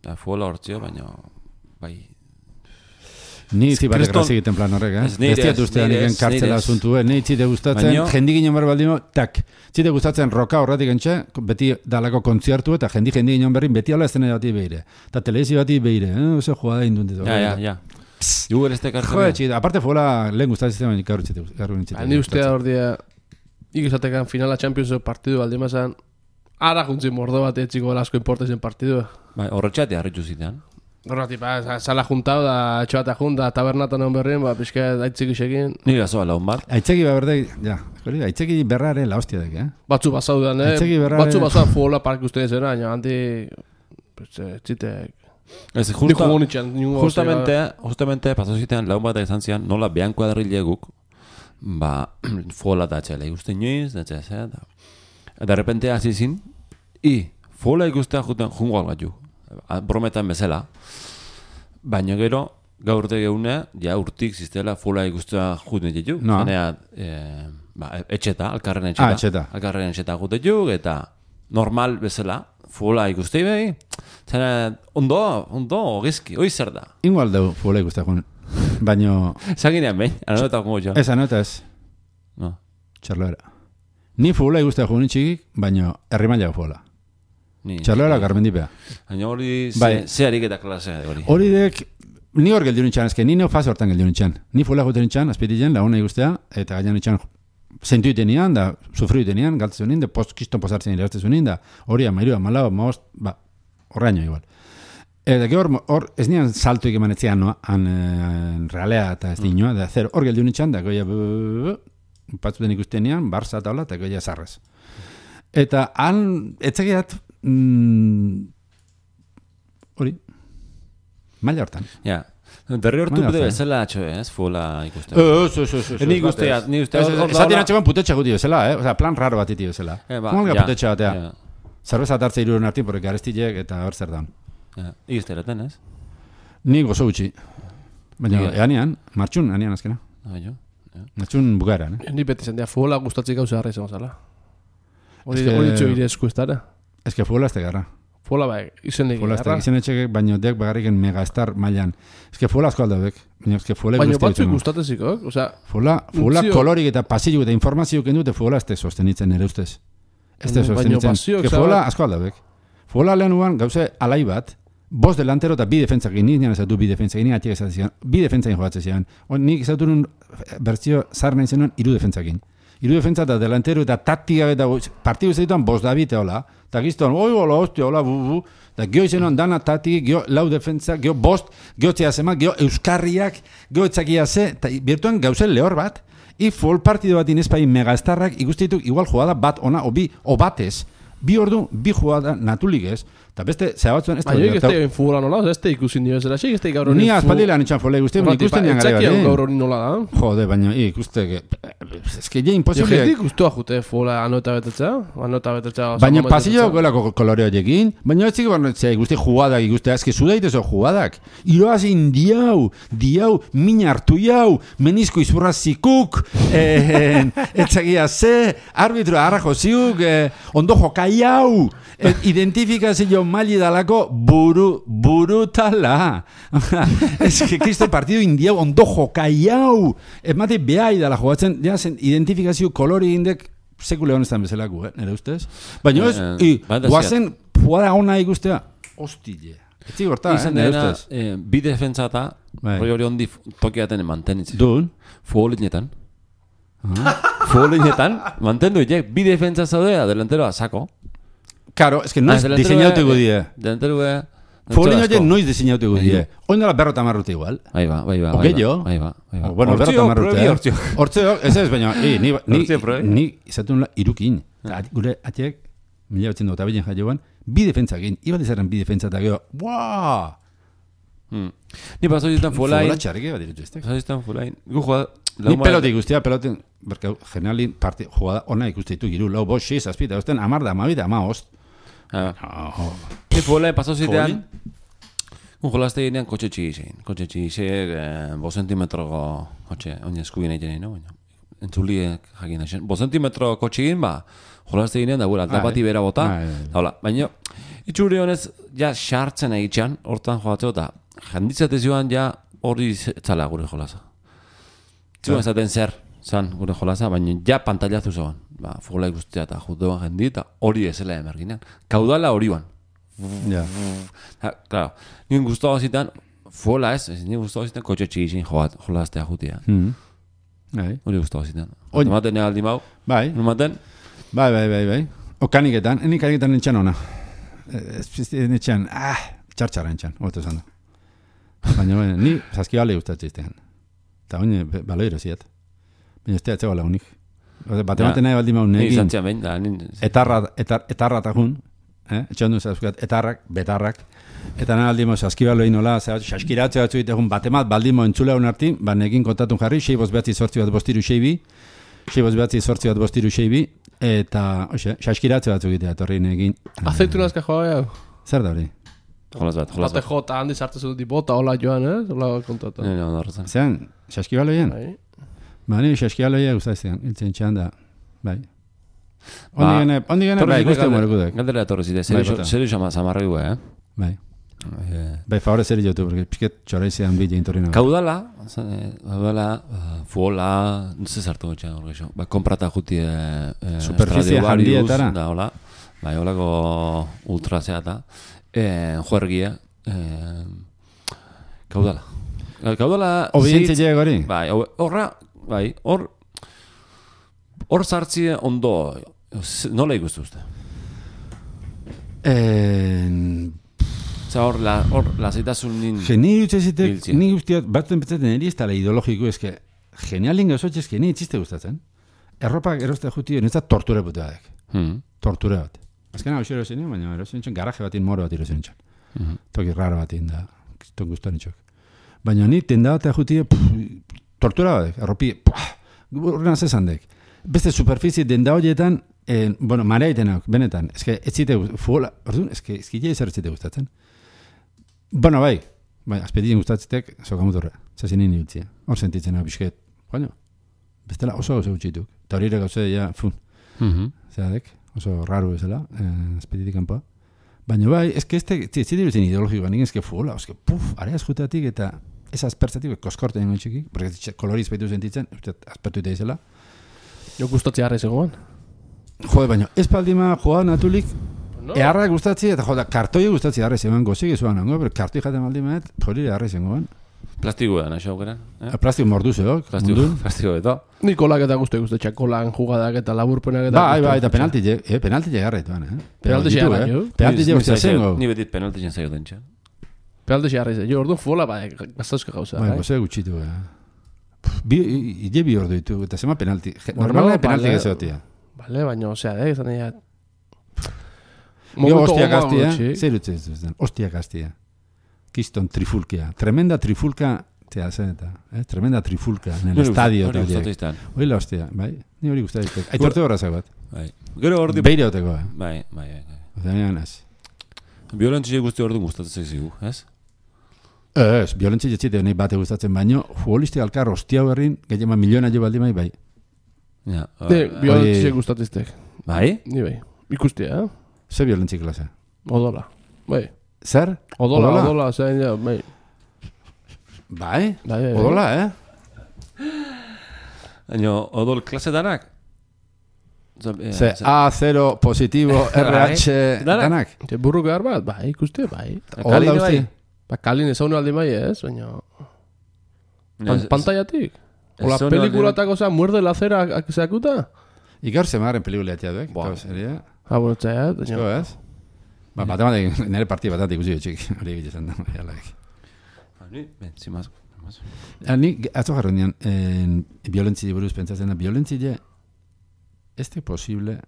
Da, fuela hortzio, baina, bai... Ni itzi bat Kriston- egraz egiten plan horrek, eh? Ez, nire Ez diat ez, ustean nire iken ez, kartzela nire ez. asuntu, eh? Ni itzite gustatzen, Baino- jendik inon behar baldimo, tak. Zite gustatzen roka horretik entxe, beti dalako kontzertu eta jendi jendi inon berrin beti ala estena bati behire. Eta telebizio bati behire, eh? Oso jugada induntet. Ja, ja, ja. Juger este Joder, kartzela. txita, aparte fuela lehen gustatzen baina gaur itxite. Gaur itxite. Ni ustea hor dia, ikizatekan finala Champions partidu aldemazan, ara juntzin mordo bat etxiko asko importezen partidua. Bai, horretxate harritu zitean. Horretik, ba, sala juntau da, etxoata junta, tabernatan egon berrien, ba, pixka aitzik isekin. Ni gazoa laun bat. Aitzeki ba berde, ja, hori, aitzeki berraren la hostia dek, eh? Batzu bazaudan, eh? Aitzeki berrare- Batzu bazaudan fuola park ustean zera, baina handi... Txitek... Ez, Nik justa, jugo nitxan, ningu justamente, justamente, pasau zitean laun bat izan zian, nola behan kuadrileguk, ba, fola da txela ikusten nioiz, da txela, eta... Eta repente hasi zin, i, fola ikustea juten jungo algat ju. Brometan bezala. Baina gero, gaur de geune, ja urtik ziztela fola ikustea juten ditu. No. Zanea, e, ba, etxeta, alkarren etxeta. Ah, etxeta. Alkarren etxeta juten ditu, eta normal bezala, fola ikustei behi, zanea, ondo, ondo, gizki, hoi zer da. Igual deu fuela ikustea joan. Baina, Zaginean behin, anota como jo. ez anota ez, No. txarloera. Ni fuela ikustea joan txikik, baina herrimailago fuela. Ni, Txarloera garmendipea. Baina hori, ze, Bai. ze harik eta klasea de hori. Hori dek, ni hor geldiun itxan, ezke, ni neo faz hortan geldiun itxan. Ni fuela juten itxan, azpitien, launa ikustea, eta gaian itxan sentu itenian, da, sufriu itenian, galtzen zunin, da, post, kiston posartzen irartzen zunin, da, hori amairu, amalau, amaost, ba, horreaino igual. Eta hor, hor, ez nian saltuik emanetzean, no, han, en realea eta ez dinoa, da, zer, hor geldiun itxan, da, goia, patzuten ikustenian, barza taula, eta goia zarrez. Eta han, etzegiat, mm, hori, maila hortan. Ja. Derri hortu Baina, bide fe. bezala atxo, ez? Fola ikustea. Ez, ez, ez, ez. Ni guztia, ni guztia. Esaten atxeban putetxa guti bezala, eh? Osea, plan raro bat iti bezala. Eh, ba, Kumalga ja, putetxa batea. ja. Zerbeza tartze iruren artin, porque garestillek eta hor zer daun. Ja. Igizteraten, ez? Ni gozo gutxi. Baina, Ni- eanean, martxun, eanean azkena. Ah, jo. Ja. Martxun bukaeran, eh? Ni beti zendia, fuola gustatzik gauza harra izan zala. Hori Ez que- hori txo ire esku ez dara. Ez que fuela ez garra. Fuola bai, izenik Fuela ez garra. izan etxek, baino dek bagarriken megastar mailan. Ez que fuela asko aldabek. Baina ez que fuela Baina guzti batzuk ditu. gustateziko, osea, Fuela, fuela Untzio- kolorik eta pasillo eta informazio kendu, eta fuela ez te sostenitzen nire ustez. Ez te Baina sostenitzen. pasioak Que zabat- fuela asko aldabek. Fuela lehen uan gauze alai bat, bost delantero eta bi defentzakin, nik nian ezatu bi defentzakin, nik atiek ezatzen zian, bi defentzakin jogatzen zian. Nik ezatu nun bertzio zar nahi zenuen iru defentzakin. Hiru defentsa eta delantero eta taktika eta partidu zeituan bost dabite hola. Eta gizton, oi, hola, hostia, hola, bu, bu. Eta gio izenon dana taktik, gio lau defentsa, gio bost, gio txea zema, gio euskarriak, gio etzakia ze, eta birtuan gauzen lehor bat. I full partido bat inespai megastarrak ikustituk igual jugada bat ona, o bi, o batez. Bi ordu, bi jugada natulik ez. Eta beste, zea batzuen ez da... Baina ez da futbola nola, ez da ikusin dio ezera, ez da gaur hori... Ni azpaldilean itxan folei guzti, baina ikusten dian gara gara. Gaur hori nola da. Jode, baina ikuste... Ez que ja imposible... Jo, jentik guztua jute futbola anota betetzea, anota betetzea... Baina pasillo golako koloreo jekin, baina ez ziko barnetzea ikuste jugadak ikuste, ez que zudait ezo jugadak. Iroazin diau, diau, min hartu jau, menizko izburra zikuk, etzagia ze, arbitro arrajo ziuk, ondo jokai jau, identifikazio maili dalako buru, burutala. Ez que kristo partido indiau ondo jokai jau, emate behai dala jogatzen, ja zen identifikazio kolori indek sekule honestan bezalaku, eh, nire ustez? Baina ez, i, guazen jugada ona ikustea, hostile. Etzi gorta, eh, nire ustez? Eh, bi defentsa eta hori hori ondi tokiaten mantenitzen. Dun? Futbolinetan. Futbolinetan, mantendu itek, bi defentsa zaude, adelanteroa sako. Claro, es que noiz diseñauteko die. Delantero be. Futbolino je noiz diseñauteko die. Oin dela berrota marrute igual. Ahí va, bai va. Bai va, bai va. Bueno, berrota marrute. Hortzeo, ez ez, baina, i, ni, ni, ni izatun la irukin. Gure atiek, mila batzen dut abilen jaioan, bi defentsa egin, ibat izaren bi defentsa eta gero, buaa! Ni paso izan fulain. Fula txarrike bat dirutu eztek. Paso izan fulain. Gu jugada... Ni pelote ikustia, pelote, berka, generalin, parte, jugada ona ikustitu giru, lau, bost, seis, azpita, osten, amar da, amabita, ama, ost. Ni fulain, paso zitean, un jolazte ginean kotxe txigizein. Kotxe txigizein, bo sentimetroko kotxe, oin eskubien egiten, no? Entzuliek jakin da. Bo sentimetro kotxe egin, ba, jolazte ginean, da gura, aldapati bera bota, daula. Baina, itxuri honez, ja, xartzen egitxan, hortan jogatzeo, eta janditzate zioan, ja, hori zala gure jolaza. Zuen ezaten zer, zan gure jolaza, baina ja pantallazu zoan. Ba, futbola ikustea eta juteoan jendi, eta hori ezela emerginean. Kaudala hori ban. Ja. Claro, nien guztua zitan, futbola ez, nien guztua zitan kotxe txigizin jolaztea jutia. Hori guztua zitan. Numaten negaldi mau. Bai. Numaten? Bai, bai, bai, bai. O kaniketan, eni kaniketan nintxan ona. Ez pizti nintxan, ah, txartxara nintxan, hobeto esan da. Baina, ni saskibale gustatzen iztean. Eta oine, baloiro ziat. Baina ez teatzea bala unik. Bate maten nahi baldi maun negin. Etarra eta jun. Etxan duen zauzkat, etarrak, betarrak. Eta nahi baldi maun saskibalo inola, saskiratze batzu egitegun bate mat, baldi maun entzule hon artin, ba negin kontatun jarri, sei boz behatzi sortzi bat bostiru seibi, sei boz behatzi sortzi bat bostiru seibi, eta, oxe, saskiratze batzu egitea, torri negin. Azeitunazka joa gau. Zer da hori? Jolaz bat, jolaz bat. Bate jota handi sartu zut bota, hola joan, eh? Hola kontatu. Ne, ne, ondarretzen. Zeran, saskibaloien? Ba, nire saskibaloia guztaztean, iltzen txan da, bai. Ondi gene, ondi gene, bai, guzti humoreko dek. Galdera torre zide, zeru samarra gu, eh? Bai. Bai, favore zeri jotu, porque pisket txoraizean bide intorri nago. Kaudala, kaudala, fuola, nuze zartu gotxean orgeixo. Ba, komprata juti superfizia jandietara. Da, hola. Bai, holako ultrazea eta juergia. Kaudala. Kaudala... Obientzia gori? Bai, horra, bai, hor... Hor zartzi ondo... Nola ikustu uste? Zer hor, hor, lasaitasun nin... Geni dutzezitek, ni guztiat, batzen betzaten eri ez tala ideologiko, eske, genialin gauzotxe, eske, ni txiste gustatzen. Erropak erostea juti, netzat tortura butea dek. Tortura bat. Azkena hau xero zen, baina erosen nintzen, garaje batin moro bat erosen nintzen. Toki raro batin da, ton guztuan nintzok. Baina ni tenda bat juti, tortura bat dek, erropi, urren azezan dek. Beste superfizie denda horietan, bueno, marea itenak, benetan, eske, ez zite, fuola, orduan, eske, ezkile ezer zite gustatzen. Bueno, bai, bai, azpedien gustatzetek, sokamutorra, zazin nini utzia. Hor sentitzen hau bisket, baina, bestela oso oso utxituk. Eta hori ere gauze, ja, fun. Zeradek, oso raro bezala, azpeditik kanpoa. Baina bai, ezke ez zite dutzen ideologikoa, nik ezke fuola, ezke, puf, area eskuteatik eta ez azpertzatik, koskorten nengo txiki, porque koloriz baitu sentitzen, azpertu eta izela. Jo gustatzi harra izagoan. Jode, baina, ez paldima joa natulik, no. Eharra gustatzi, eta joda, kartoi gustatzi harra izagoan, gozik izuan nango, pero kartoi jaten maldimet, hori harra izagoan. Plastikoa nahi aukera. Eh? Plastiko morduzeok. Plastiko, plastiko eta. Ni kolak eta guzti guzti txakolan jugadak eta laburpenak eta... Bai, bai, eta penalti, eh, penalti llegarretuan, eh? Penalti llegarretu. Eh? Penalti llegarretu zengo. Ni betit penalti jen zaio dentxa. Penalti llegarretu. Jo, orduan futbola, bai, gaztazka gauza. Bai, gozea gutxitu, eh? Bi, ide bi ordu ditu, eta zema penalti. Normalmente penalti gezotia. Bale, baina, osea, eh, izan egin... Yo, hostia gaztia, zer utzez duzen, hostia gaztia. Kiston trifulkia, tremenda trifulka, tea zen eta, eh? Tremenda trifulka, en el estadio. Hori gustatzen. Hori la hostia, bai, ni hori gustatzen. Aitorte horrazak bat. Bai. Gero ordi... Beire hoteko, eh? Bai, bai, bai. Oza, nian ez. Violentzi guzti ordu gustatzen zigu, ez? Ez, violentzi jetxite nahi bate gustatzen baino, futbolistik alkar hostia berrin, gehiago miliona jo baldi mai, bai. Ja. Ne, violentzi gustatiztek. Bai? Ni bai. Ikustia, eh? Ze violentzi klase? Odola. Bai. Zer? Odola, odola, odola zein ja, bai. Bai? Bai, bai. Odola, eh? Baina, odol klase danak? Ze, A, zero, positibo, R H, danak? Te burru behar bat, bai, ikuste, bai. Odola usti? Ba, kalin ezaunu aldi bai ez, baina... Pantaiatik? Ola pelikulatako, osea, muerde la cera zeakuta? Ikar zemaren pelikuleatia duek, Boa. seria? Ah, bueno, txaiat, baina... Esko, ez? Ba, batematik, nire partida batatik ikusi txik, hori egiten da, jalaik. Ni, ben, zimaz. Ni, atzo jarro nian, violentzi buruz pentsatzen da, violentzi ez de posible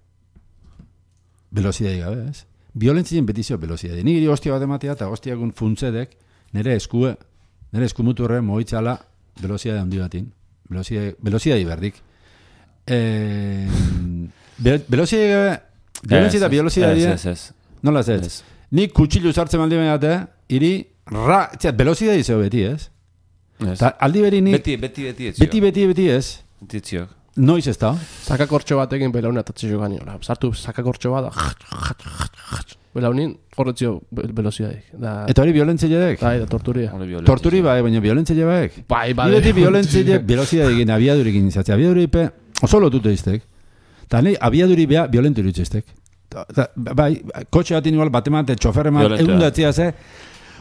velozidadi gabe, ez? Violentzien betizio velozidadi. Ni giri hostia bat ematea eta hostiakun funtzedek nire eskue, nire eskumuturre moitzala velozidadi handi batin. Velozidadi berdik. Eh, velozidadi gabe, violentzi eta velozidadi... Ez, ez, ez. Nola ez ez? Ni kutxilu sartzen maldi bainate, iri, ra, txat, velozidadi zeo beti, ez? Ta, aldi beri ni... Beti, beti, beti etzio. Beti, beti, beti, ez? Beti etziok. Noiz ez da? Sakakortxo batekin belauna atatzi jo gani. Sartu sakakortxo bat, belaunin horretzio velozidadik. Eta hori violentzia dek? Bai, da torturia. Torturi bai, baina violentzia baek? Bai, bai. Beti violentzia velozidadik, abiadurikin izatzea. Abiaduripe oso lotute iztek. Eta nahi, abiaduri bea violentu irutziztek. Bai, kotxe batin igual, batemate, txoferreman, egun datzia ze,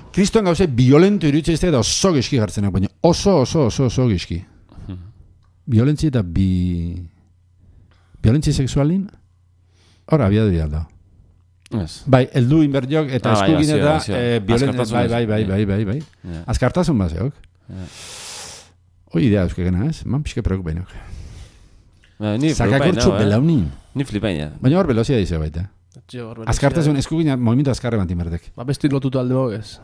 kristoan gauze violentu irutziztek eta oso gizki jartzenak, baina oso, oso, oso, oso gizki. Violentzi eta bi... Violentzi sexualin? Hora, abiaduri alda. Yes. Bai, eldu inberdiok eta ah, eskukin bai, eta bai, eh, violentzi... Bai, bai, bai, bai, bai, bai. Yeah. Azkartasun bazeok. Yeah. Hoi idea euskegena, ez? Man pixke preokupainok. Ba, ni Sakakortxu belaunin. Ni flipaina. Baina hor velozia dizio baita. Azkartasun eskukin momentu azkarre bantin berdek. Ba, besti lotutu alde mogez.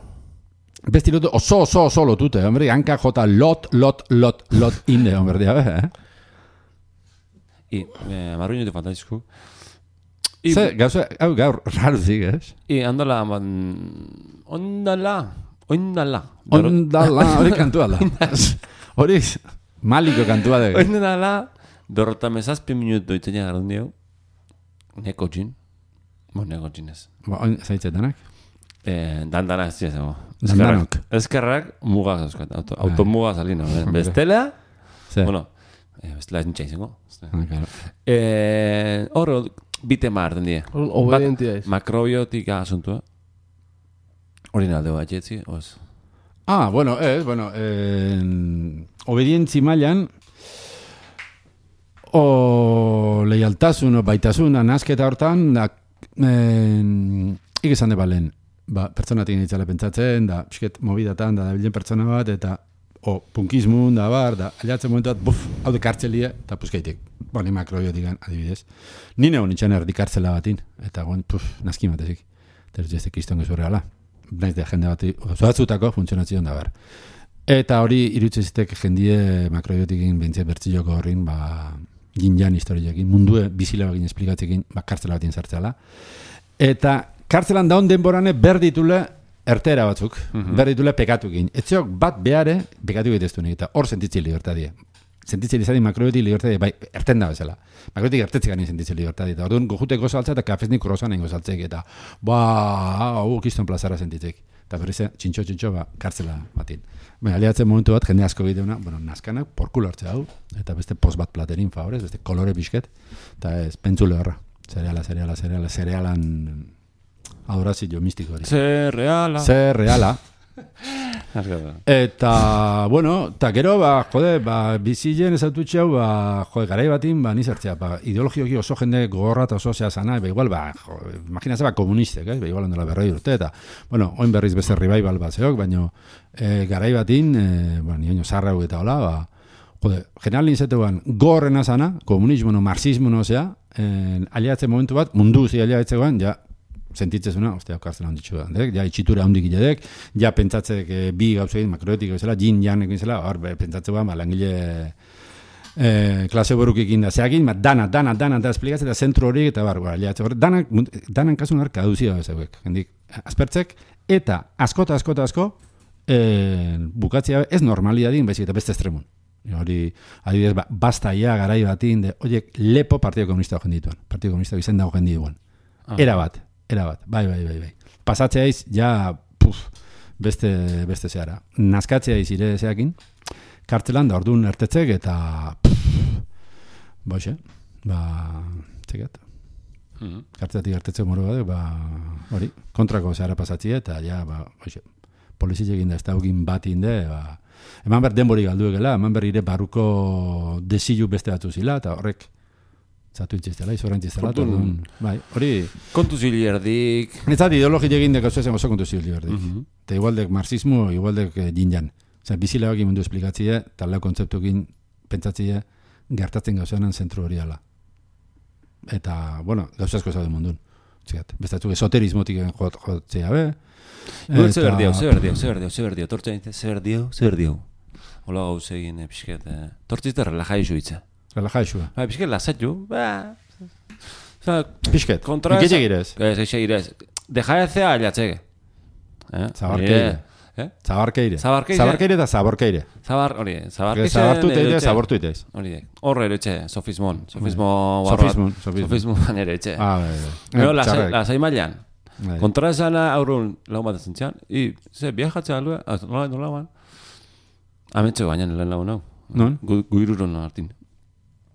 Besti lotu, oso, oso, oso lotute, hombre, hanka jota lot, lot, lot, lot inde, hombre, dia, eh? I, eh, marruño de fantastisku. Ze, gauza, hau gaur, raro zik, ez? I, andala, man... Ondala, ondala. Ondala, hori kantua da. Hori, maliko kantua da. Ondala, dorrota mesazpi minutu itzenia garun dio. Neko jin. Bo, neko jin ez. Ba, oin, zaitzetenak? Eh, dandana ez dira zego. Dandanok. Ezkerrak mugak zauzkat. Auto, automuga salino. Bestela, bueno, eh, bestela ez nintxa izango. Ah, claro. Eh, horro, bite marten die. Obedientia ez. Makrobiotika asuntua. Hori nalde bat jetzi, oz. Ah, bueno, ez, bueno, eh, obedientzi mailan, o leialtasun, o baitasun, nasketa hortan, da, eh, ikizan de balen. Ba, pertsonatik nintzala pentsatzen, da, pixket mobidatan, da, dabilen pertsona bat, eta, o, punkismun, da, bar, da, aliatzen momentu bat, buf, hau de kartzelia, eta puzkaitek, boni makrobiotikan, adibidez. Nine hon itxan erdi kartzela batin, eta guen, puf, naski matezik. Teruz jazte kiston gezu reala. Naiz de jende bat, zoatzutako funtzionatzion da, bar. Eta hori, irutzezitek jendie makrobiotikin bentzia bertziloko horrin, ba, ginjan historiakin, mundue bizila bagin esplikatzekin, ba, kartzela batin zartzela. Eta, kartzelan daun denborane berditule ertera batzuk, mm-hmm. berditule pekatukin. Etzeok bat behare pekatu egiteztu nik, eta hor sentitzi libertadie. Sentitzi lizadi makrobiotik libertadie, bai, erten da bezala. Makrobiotik ertetzik gani sentitzi libertadie. Eta orduan gojuteko saltza eta kafeznik krosan nengo saltzek, eta ba, hau kiston plazara sentitzik. Eta berrize, txintxo, txintxo, ba, kartzela batin. Baina, aliatzen momentu bat, jende asko bideuna, bueno, naskanak, porkulo hartze hau, eta beste post bat platerin favorez, beste kolore pixket, eta ez, pentsule horra. Zereala, zereala, zereala, zerealan... Adorazio mistiko hori. Zer reala. Zer reala. Eta, bueno, eta gero, ba, jode, ba, bizien ezatutxeu, ba, jode, garai batin, ba, nizertzea, ba, ideologioki oso jende gogorra eta oso zea zana, ba, igual, ba, jode, imaginatzen, ba, komunistek, eh? Ba, igual ondela berroi urte, eta, bueno, oin berriz beste revival bat zeok, baina, e, garai batin, e, ba, nioño zarra hu eta hola, ba, jode, general ninzetean, gorrena zana, komunismo, no, marxismo, no, zea, e, aliatzen momentu bat, mundu zi aliatzegoan, ja, sentitzezuna, ostia, okartzen handitxu da, ja, itxitura handik giledek, ja, pentsatzek e, bi gauzein, makroetik bezala, jin janek bezala, hor, pentsatzegoan, ba, langile e, klase borukik da zeakin, ba, dana, dana, dana, da esplikatzen, eta zentru horiek, eta bar, aliatze hori, danak, danan kasun hor, kaduzia bezauek, hendik, aspertzek, eta askota, askota, asko, e, bukatzea ez normalidadin, baizik, eta beste estremun. Hori, adibidez, ba, basta ia garai batin, de, oiek, lepo Partido Komunista hojen dituen, Partido Komunista izen da hojen dituen. Era bat, era bat, bai, bai, bai, bai. Pasatzeaiz, ja, puf, beste, beste zeara. Nazkatzeaiz ire zeakin, kartzelan da orduan ertetzek, eta, puf, boixe, ba, txekat. Mm-hmm. Kartzetatik ertetzek moro bat, ba, hori, kontrako zeara pasatzie, eta, ja, ba, boixe, poliziekin da, ez daugin bat inde, ba, eman behar denbori galduekela, eman behar ire barruko desilu beste batzu zila, eta horrek, zatu intziztela, izoran intziztela, bai, hori... Kontu zili erdik... Netzat ideologi egin dek oso oso kontu zili erdik. Mm-hmm. Eta igualdek marxismo, igualdek eh, jinjan. Zer, bizilea egin mundu esplikatzie, eta lau kontzeptuekin pentsatzie, gertatzen gauzanan zentru hori ala. Eta, bueno, gauzazko zaude mundun. Zigat, bestatzuk esoterismotik jotzea, be? Igual ze berdio, ze berdio, ze berdio, ze berdio, tortza nintzen, ze berdio, ze berdio. Ola gauz egin, pixket, tortzizte relajai zuitza. Relajai zua. Ba, pixket lasatxu, ba... Pixket, kontra iketxe girez? Ez, eixe girez. Deja ezea aliatzege. Zabarkeire. Zabarkeire. Zabarkeire eta zaborkeire. Zabar, hori, zabarkeire. Zabartu teire, zabortu itez. Hori, horre ere etxe, sofismon. Sofismo... Sofismon. Sofismon ere etxe. Ah, bai, bai. Gero, lasai mailan. Kontra esana aurrun lau bat ezentzian. I, ze, biajatzea alue, nola, nola, nola. Ametxeko baina lehen lau nau. Non? Guirurun hartin.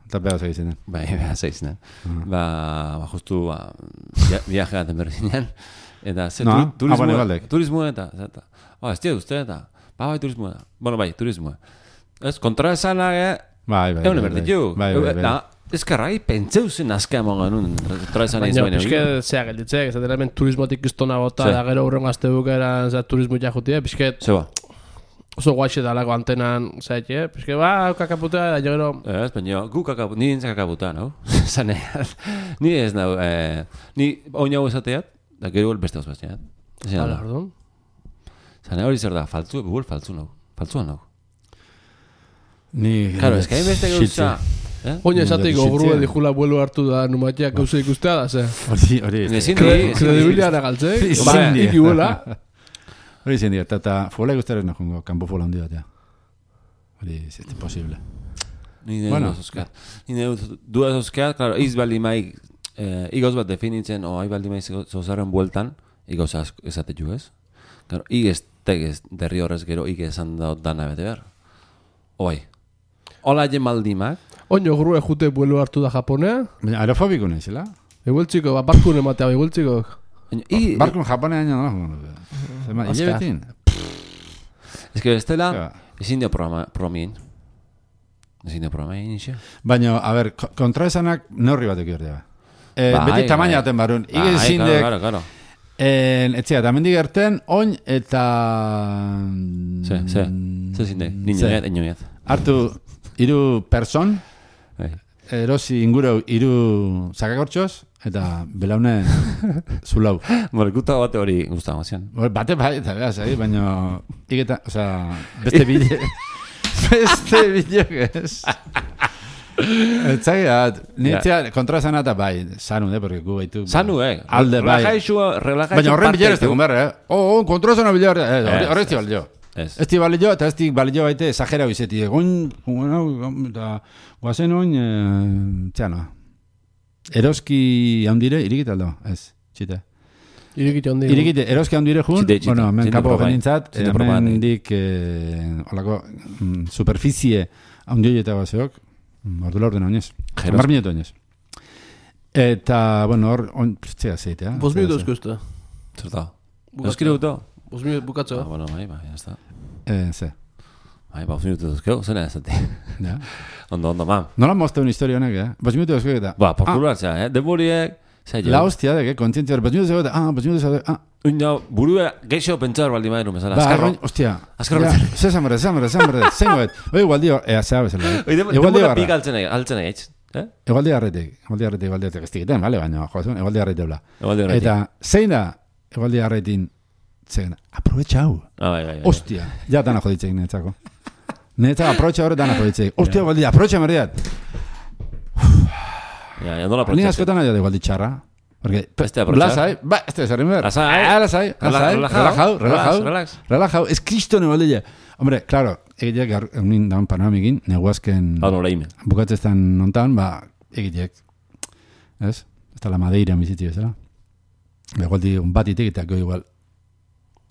Eta beha zaitzen den. Bai, beha zaitzen den. Ba, ba, justu, ba, viaje gaten berdinean. Eta, ze, no, turismo, ah, turismo eta, eta, ba, ez tia duzte eta, ba, bai, turismo eta. Bueno, bai, turismo. Ez, kontra esana, e, bai, bai, egun eberditu. Bai, bai, bai. Ezkarrai, pentseu zen azka eman ganun, kontra esana izan. Baina, pixke, zea gelditzek, ez da turismotik iztona gota, da gero urren gazte bukeran, za turismo jajutia, pixke... Zeba. Oso guaixe dalako antenan, zaitxe, pixke, ba, kakaputa, da gero... Ez, baina, gu kakaputa, ni nintzen kakaputa, no? Zane, ni ez nau, ni oin hau esateat, da gero beste hau basteat. Hala, perdón. Zane, hori zer da, faltzu, buel faltzu nau, faltzua nau. Ni... Claro, ez que hain beste gauza... Oina esateik ogrue dijula buelo hartu da numatiak gauza ikustea da, ze? Hori, hori. Kredibiliana galtzek, ba, iki buela. Hori zen dira, eta fola ikustaren nahi, kanpo fola hundi bat, ja. Hori, ez ez posible. Ni nahi duzuzkeat. Ni nahi duzuzkeat, claro, iz baldi maik, igoz bat definitzen, o hai baldi maik zozaren bueltan, igoz esatetu ez. Claro, igez tegez derri horrez gero igez esan daut dana bete behar. Oai. Ola jen maldimak. Oino grue jute buelo hartu da Japonea. Baina aerofobiko nahi zela? Egueltziko, ba, barkun ematea, egueltziko. Barkun Japonea baina no. Ile betin. Ez que bestela, ezin dio promien. Ezin dio promien, iso. Baina, a ber, kontraesanak neurri batek hori da. Beti tamaina baten barun. Ige zindek... Claro, claro. Etzea, eta mendik erten, oin eta... Ze, ze, ze zindek, niñoet, enoet. Hartu, iru person, erosi inguru iru zakakortxoz, eta belaune zulau. Morekuta bate hori guztago mazian. Bate bai, eta behaz, baina iketa, oza, beste bide, beste bide, ez. Etzaiat, nintzea kontrasan eta bai, sanu, eh, porque gu baitu... Sanu, eh? Alde, bai. Relajaixu, relajaixu... Baina horren bilera ez tegun behar, eh? Oh, oh, kontrasana bilera, eh, horre ez ti balio. Ez ti balio, eta ez ti balio baite exagera bizeti. Goin, eta guazen oin, txano. Eroski handire, irikit aldo, ez, txite. Irikit handire. Irikit, eroski handire jun, bueno, men kapo genintzat, men dik, holako, superficie handioi eta baseok, ordula orden oinez. Mar minuto oinez. Eta, bueno, hor, txea zeitea. Bos minutos kusta. Zerta. Euskire guto. Bost minutu bukatzo. Ah, bueno, bai, bai, ya está. Eh, ze. Bai, bost minutu duzkeu, zena ez ati. Ja. Ondo, ondo, ma. Nola mozta un historia honek, eh? Bost minutu duzko eta. Ba, populatzea, eh? Demoriek, zai jo. La hostia de que kontzientzia, bost minutu duzko eta, ah, bost minutu duzko eta, ah. Uina, burua geixo pentsar baldi mairu, mesala. Ba, Azkarro. arroin, hostia. Azkarro Ja, pentsar. ze zambre, zambre, zambre, zengo et. Oi, igual dio, ea, zea bezala. Oi, demora pik altzen nahi, altzen nahi, etx. Eh? Egualdi harretik, egualdi harretik, egualdi harretik, ez dikiten, bale, baina, joazun, egualdi harretik bla. Egualdi harretik. Eta, zein da, egualdi harretin, zein, aprobetxa hau. Ah, bai, bai, bai. Hostia, ja dana joditzeik netzako. Netzako, aprobetxa horre dana joditzeik. Hostia, egualdi, aprobetxa merdiat. Ja, ja, nola Ni protxatzen. askotan nahi da egualdi txarra. Porque, Beste aprobetxar. lasai, ba, este zerrin behar. Lasai. Ah, lasai, lasai, relajau, relajau. Relax. Relajau, ez kriston egualdi. Hombre, claro, egitek egunin daun panoramikin, neguazken Hau nola ime. bukatzestan nontan, ba, egitek, ez? Ez da la Madeira bizitzi bezala. Egualdi un batitik eta goi igual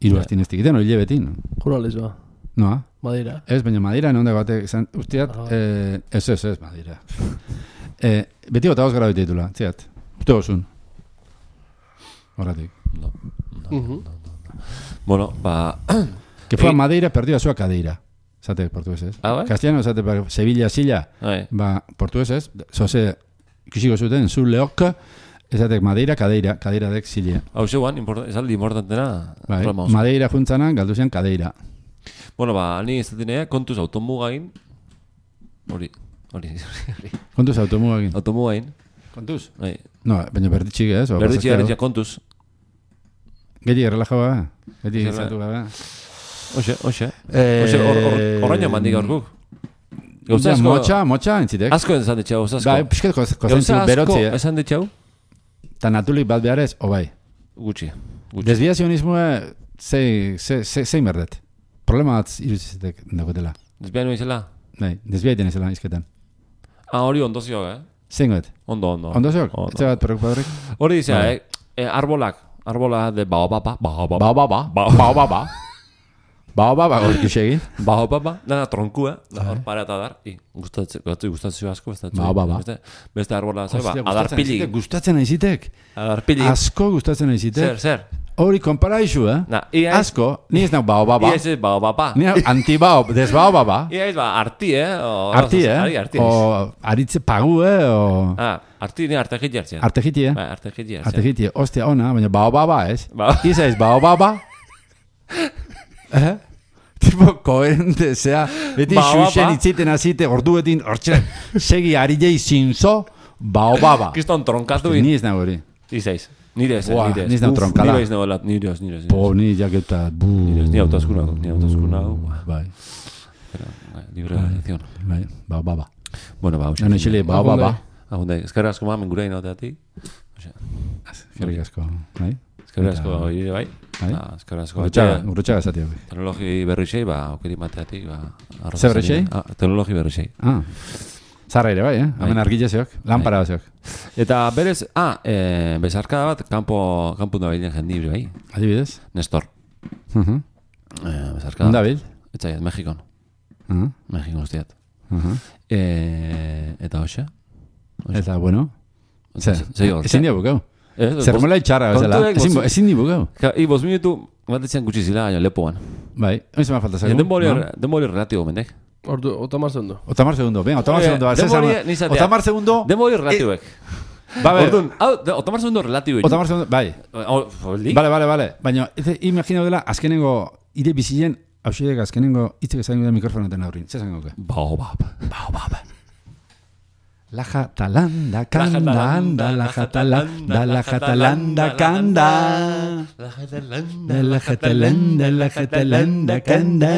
hiru astin ez tikiten, hori lebetin. Juro lezua. Noa? Madeira. Ez, baina Madeira nonda batek, zan, usteat, Ah. eh, ez, ez, ez, Madeira. eh, beti gota gara beti ditula, ziat. Uste gozun. Horratik. No. Mhm. Bueno, ba... Que fue a Egin- Madeira, perdió a su cadera. Zate portuguesez. Ah, bai? Castellano, zate, per- Sevilla, Silla, Bai. ba, portuguesez, zoze, ikusiko zuten, zu leok, ezatek Madeira, kadeira, kadeira dek Silla. Hau zeuan, import- esaldi importantena. Bai, programa oso. Madeira juntzanan, galdu zen kadeira. Bueno, ba, ni ez datinea, kontuz automugain. Hori, hori, hori. Kontuz automugagin. Automugain. Kontuz? Bai. No, baina berditxik ez? o Berditxe, pasaztero. berditxe, kontuz. Geti errelaja ba? Geti Zerra. izatu gabe? Oxe, oxe. Eh, Oxe, hor- hor- horraino mandik aurkuk. Gauza Ja, asko... motxa, motxa entzitek. Asko esan ditxau, gauza asko. Bai, pixket Gauza kozentzu asko berotzi, eh? esan ditxau? Ta natulik bat beharez, o bai. Gutxi. Gutxi. Desbiazionismoa, zei, zei, zei, zein berdet. Problema bat iruzizetek dakotela. Desbian nuen izela? Bai, desbiaiten ezela izketan. Ah, hori ondozio, eh? Zein goet? Ondo, ondo. Ondo zeok? Ondo. Etze bat preocupadorek? Hori dizea, Bai. eh? eh? Arbolak. Arbola de baobaba. Baobaba. Bao, bao, bao. Bao. Bao, bao, bao. Bao, bao, bao, hori egin. Baobaba. Dana tronkua. Da hor para eta dar. I, gustatzen, gustatzen, gustatzen asko. Gustatzen, Baobaba. Beste, beste arbola, zer ba? Hostia, gustatzen Adarpili. aizitek, Gustatzen aizitek. Adarpili. Asko gustatzen Zer, aizitek. zer? Hori konparaizu, eh? Na, ia ez... Asko, ni ez nau bao, bao, bao. Ia ez baobaba. Ni hau antibao, desbao, bao, bao. Ia ez ba, arti, eh? O, Arti, eh? Ari, arti. O aritze pagu, eh? O Ah, arti, ni arte jiti hartzen. artegiti, eh? Bai, arte jiti hartzen. Artegiti, ostia ona, baina bao, bao, bao, ez? Ba- Iza ez bao, bao, bao. Eh? Tipo, koherente, zea, beti Bao, bao, xuxen ba. itziten azite, orduetin, hortxe, segi ari jai zinzo, bao, bao, bao. Kiston tronkatu in. Ni ez nago hori. Izaiz. Nire ez, Buah, nire ez. ni ez nau Uf, tronkada. Nire ez nagoela, nire ez, nire ez. Po, ni jaketa, bu. Nire ez, ni autoskuna, ni autoskuna. Bai, Libre de elección. bai, bao, bao, bao. Bueno, ba, Nano isili, bao, bao, bao. Ahonde, eskerra asko mamen gure inoteatik. Gerrik asko, bai? Eskerra asko hori bai. Bai? Ah, eskerra asko. Gurutxaga, gurutxaga esati hori. Teknologi berrixei, ba, aukeri mateatik, ba... arroza Ze berrixei? zarien. Ah, teknologi berrixei. Ah, zarra ere bai, eh? Hemen Bai. argile zeok, lampara zeok. Eta berez, ah, eh, bezarkada bat, kanpo, kanpo da bilen jendibre, bai? Adibidez? Nestor. Uh-huh. Eh, bezarkada. Onda bil? Etzaiat, Mexikon. Uh-huh. Mexikon usteat. Uh-huh. Eh, eta hoxe? Eta, bueno, ze, Zei hor. ezin dia bukau. Eh, Zermola itxarra bezala, kontuek ezin, bost- ezin di bukau. Ka- I, bost minutu, bat etxean gutxi zila, baina lepoan. Bai, hori zema falta zago. Denbori, no? denbori relatibo, mendek. Ordu, otamar segundo. Otamar segundo, venga, otamar Oye, segundo. ba, ze denbori zama- nizatea. Otamar segundo, Denbori relatiboek. ba, ber, Orduan, hau, de- otamar segundo relatiboek. otamar segundo, bai. Hau, foldi? Vale, vale, vale. Baina, ez imagina dela, azkenengo, ire bizien, hausiek azkenengo, itzek ezagun da mikrofonaten aurrin. Ze zango ke? Baobab. Baobab. La jatalanda kanda, anda, la jatalanda, la jatalanda kanda. La jatalanda, La jatalanda, la jatalanda kanda.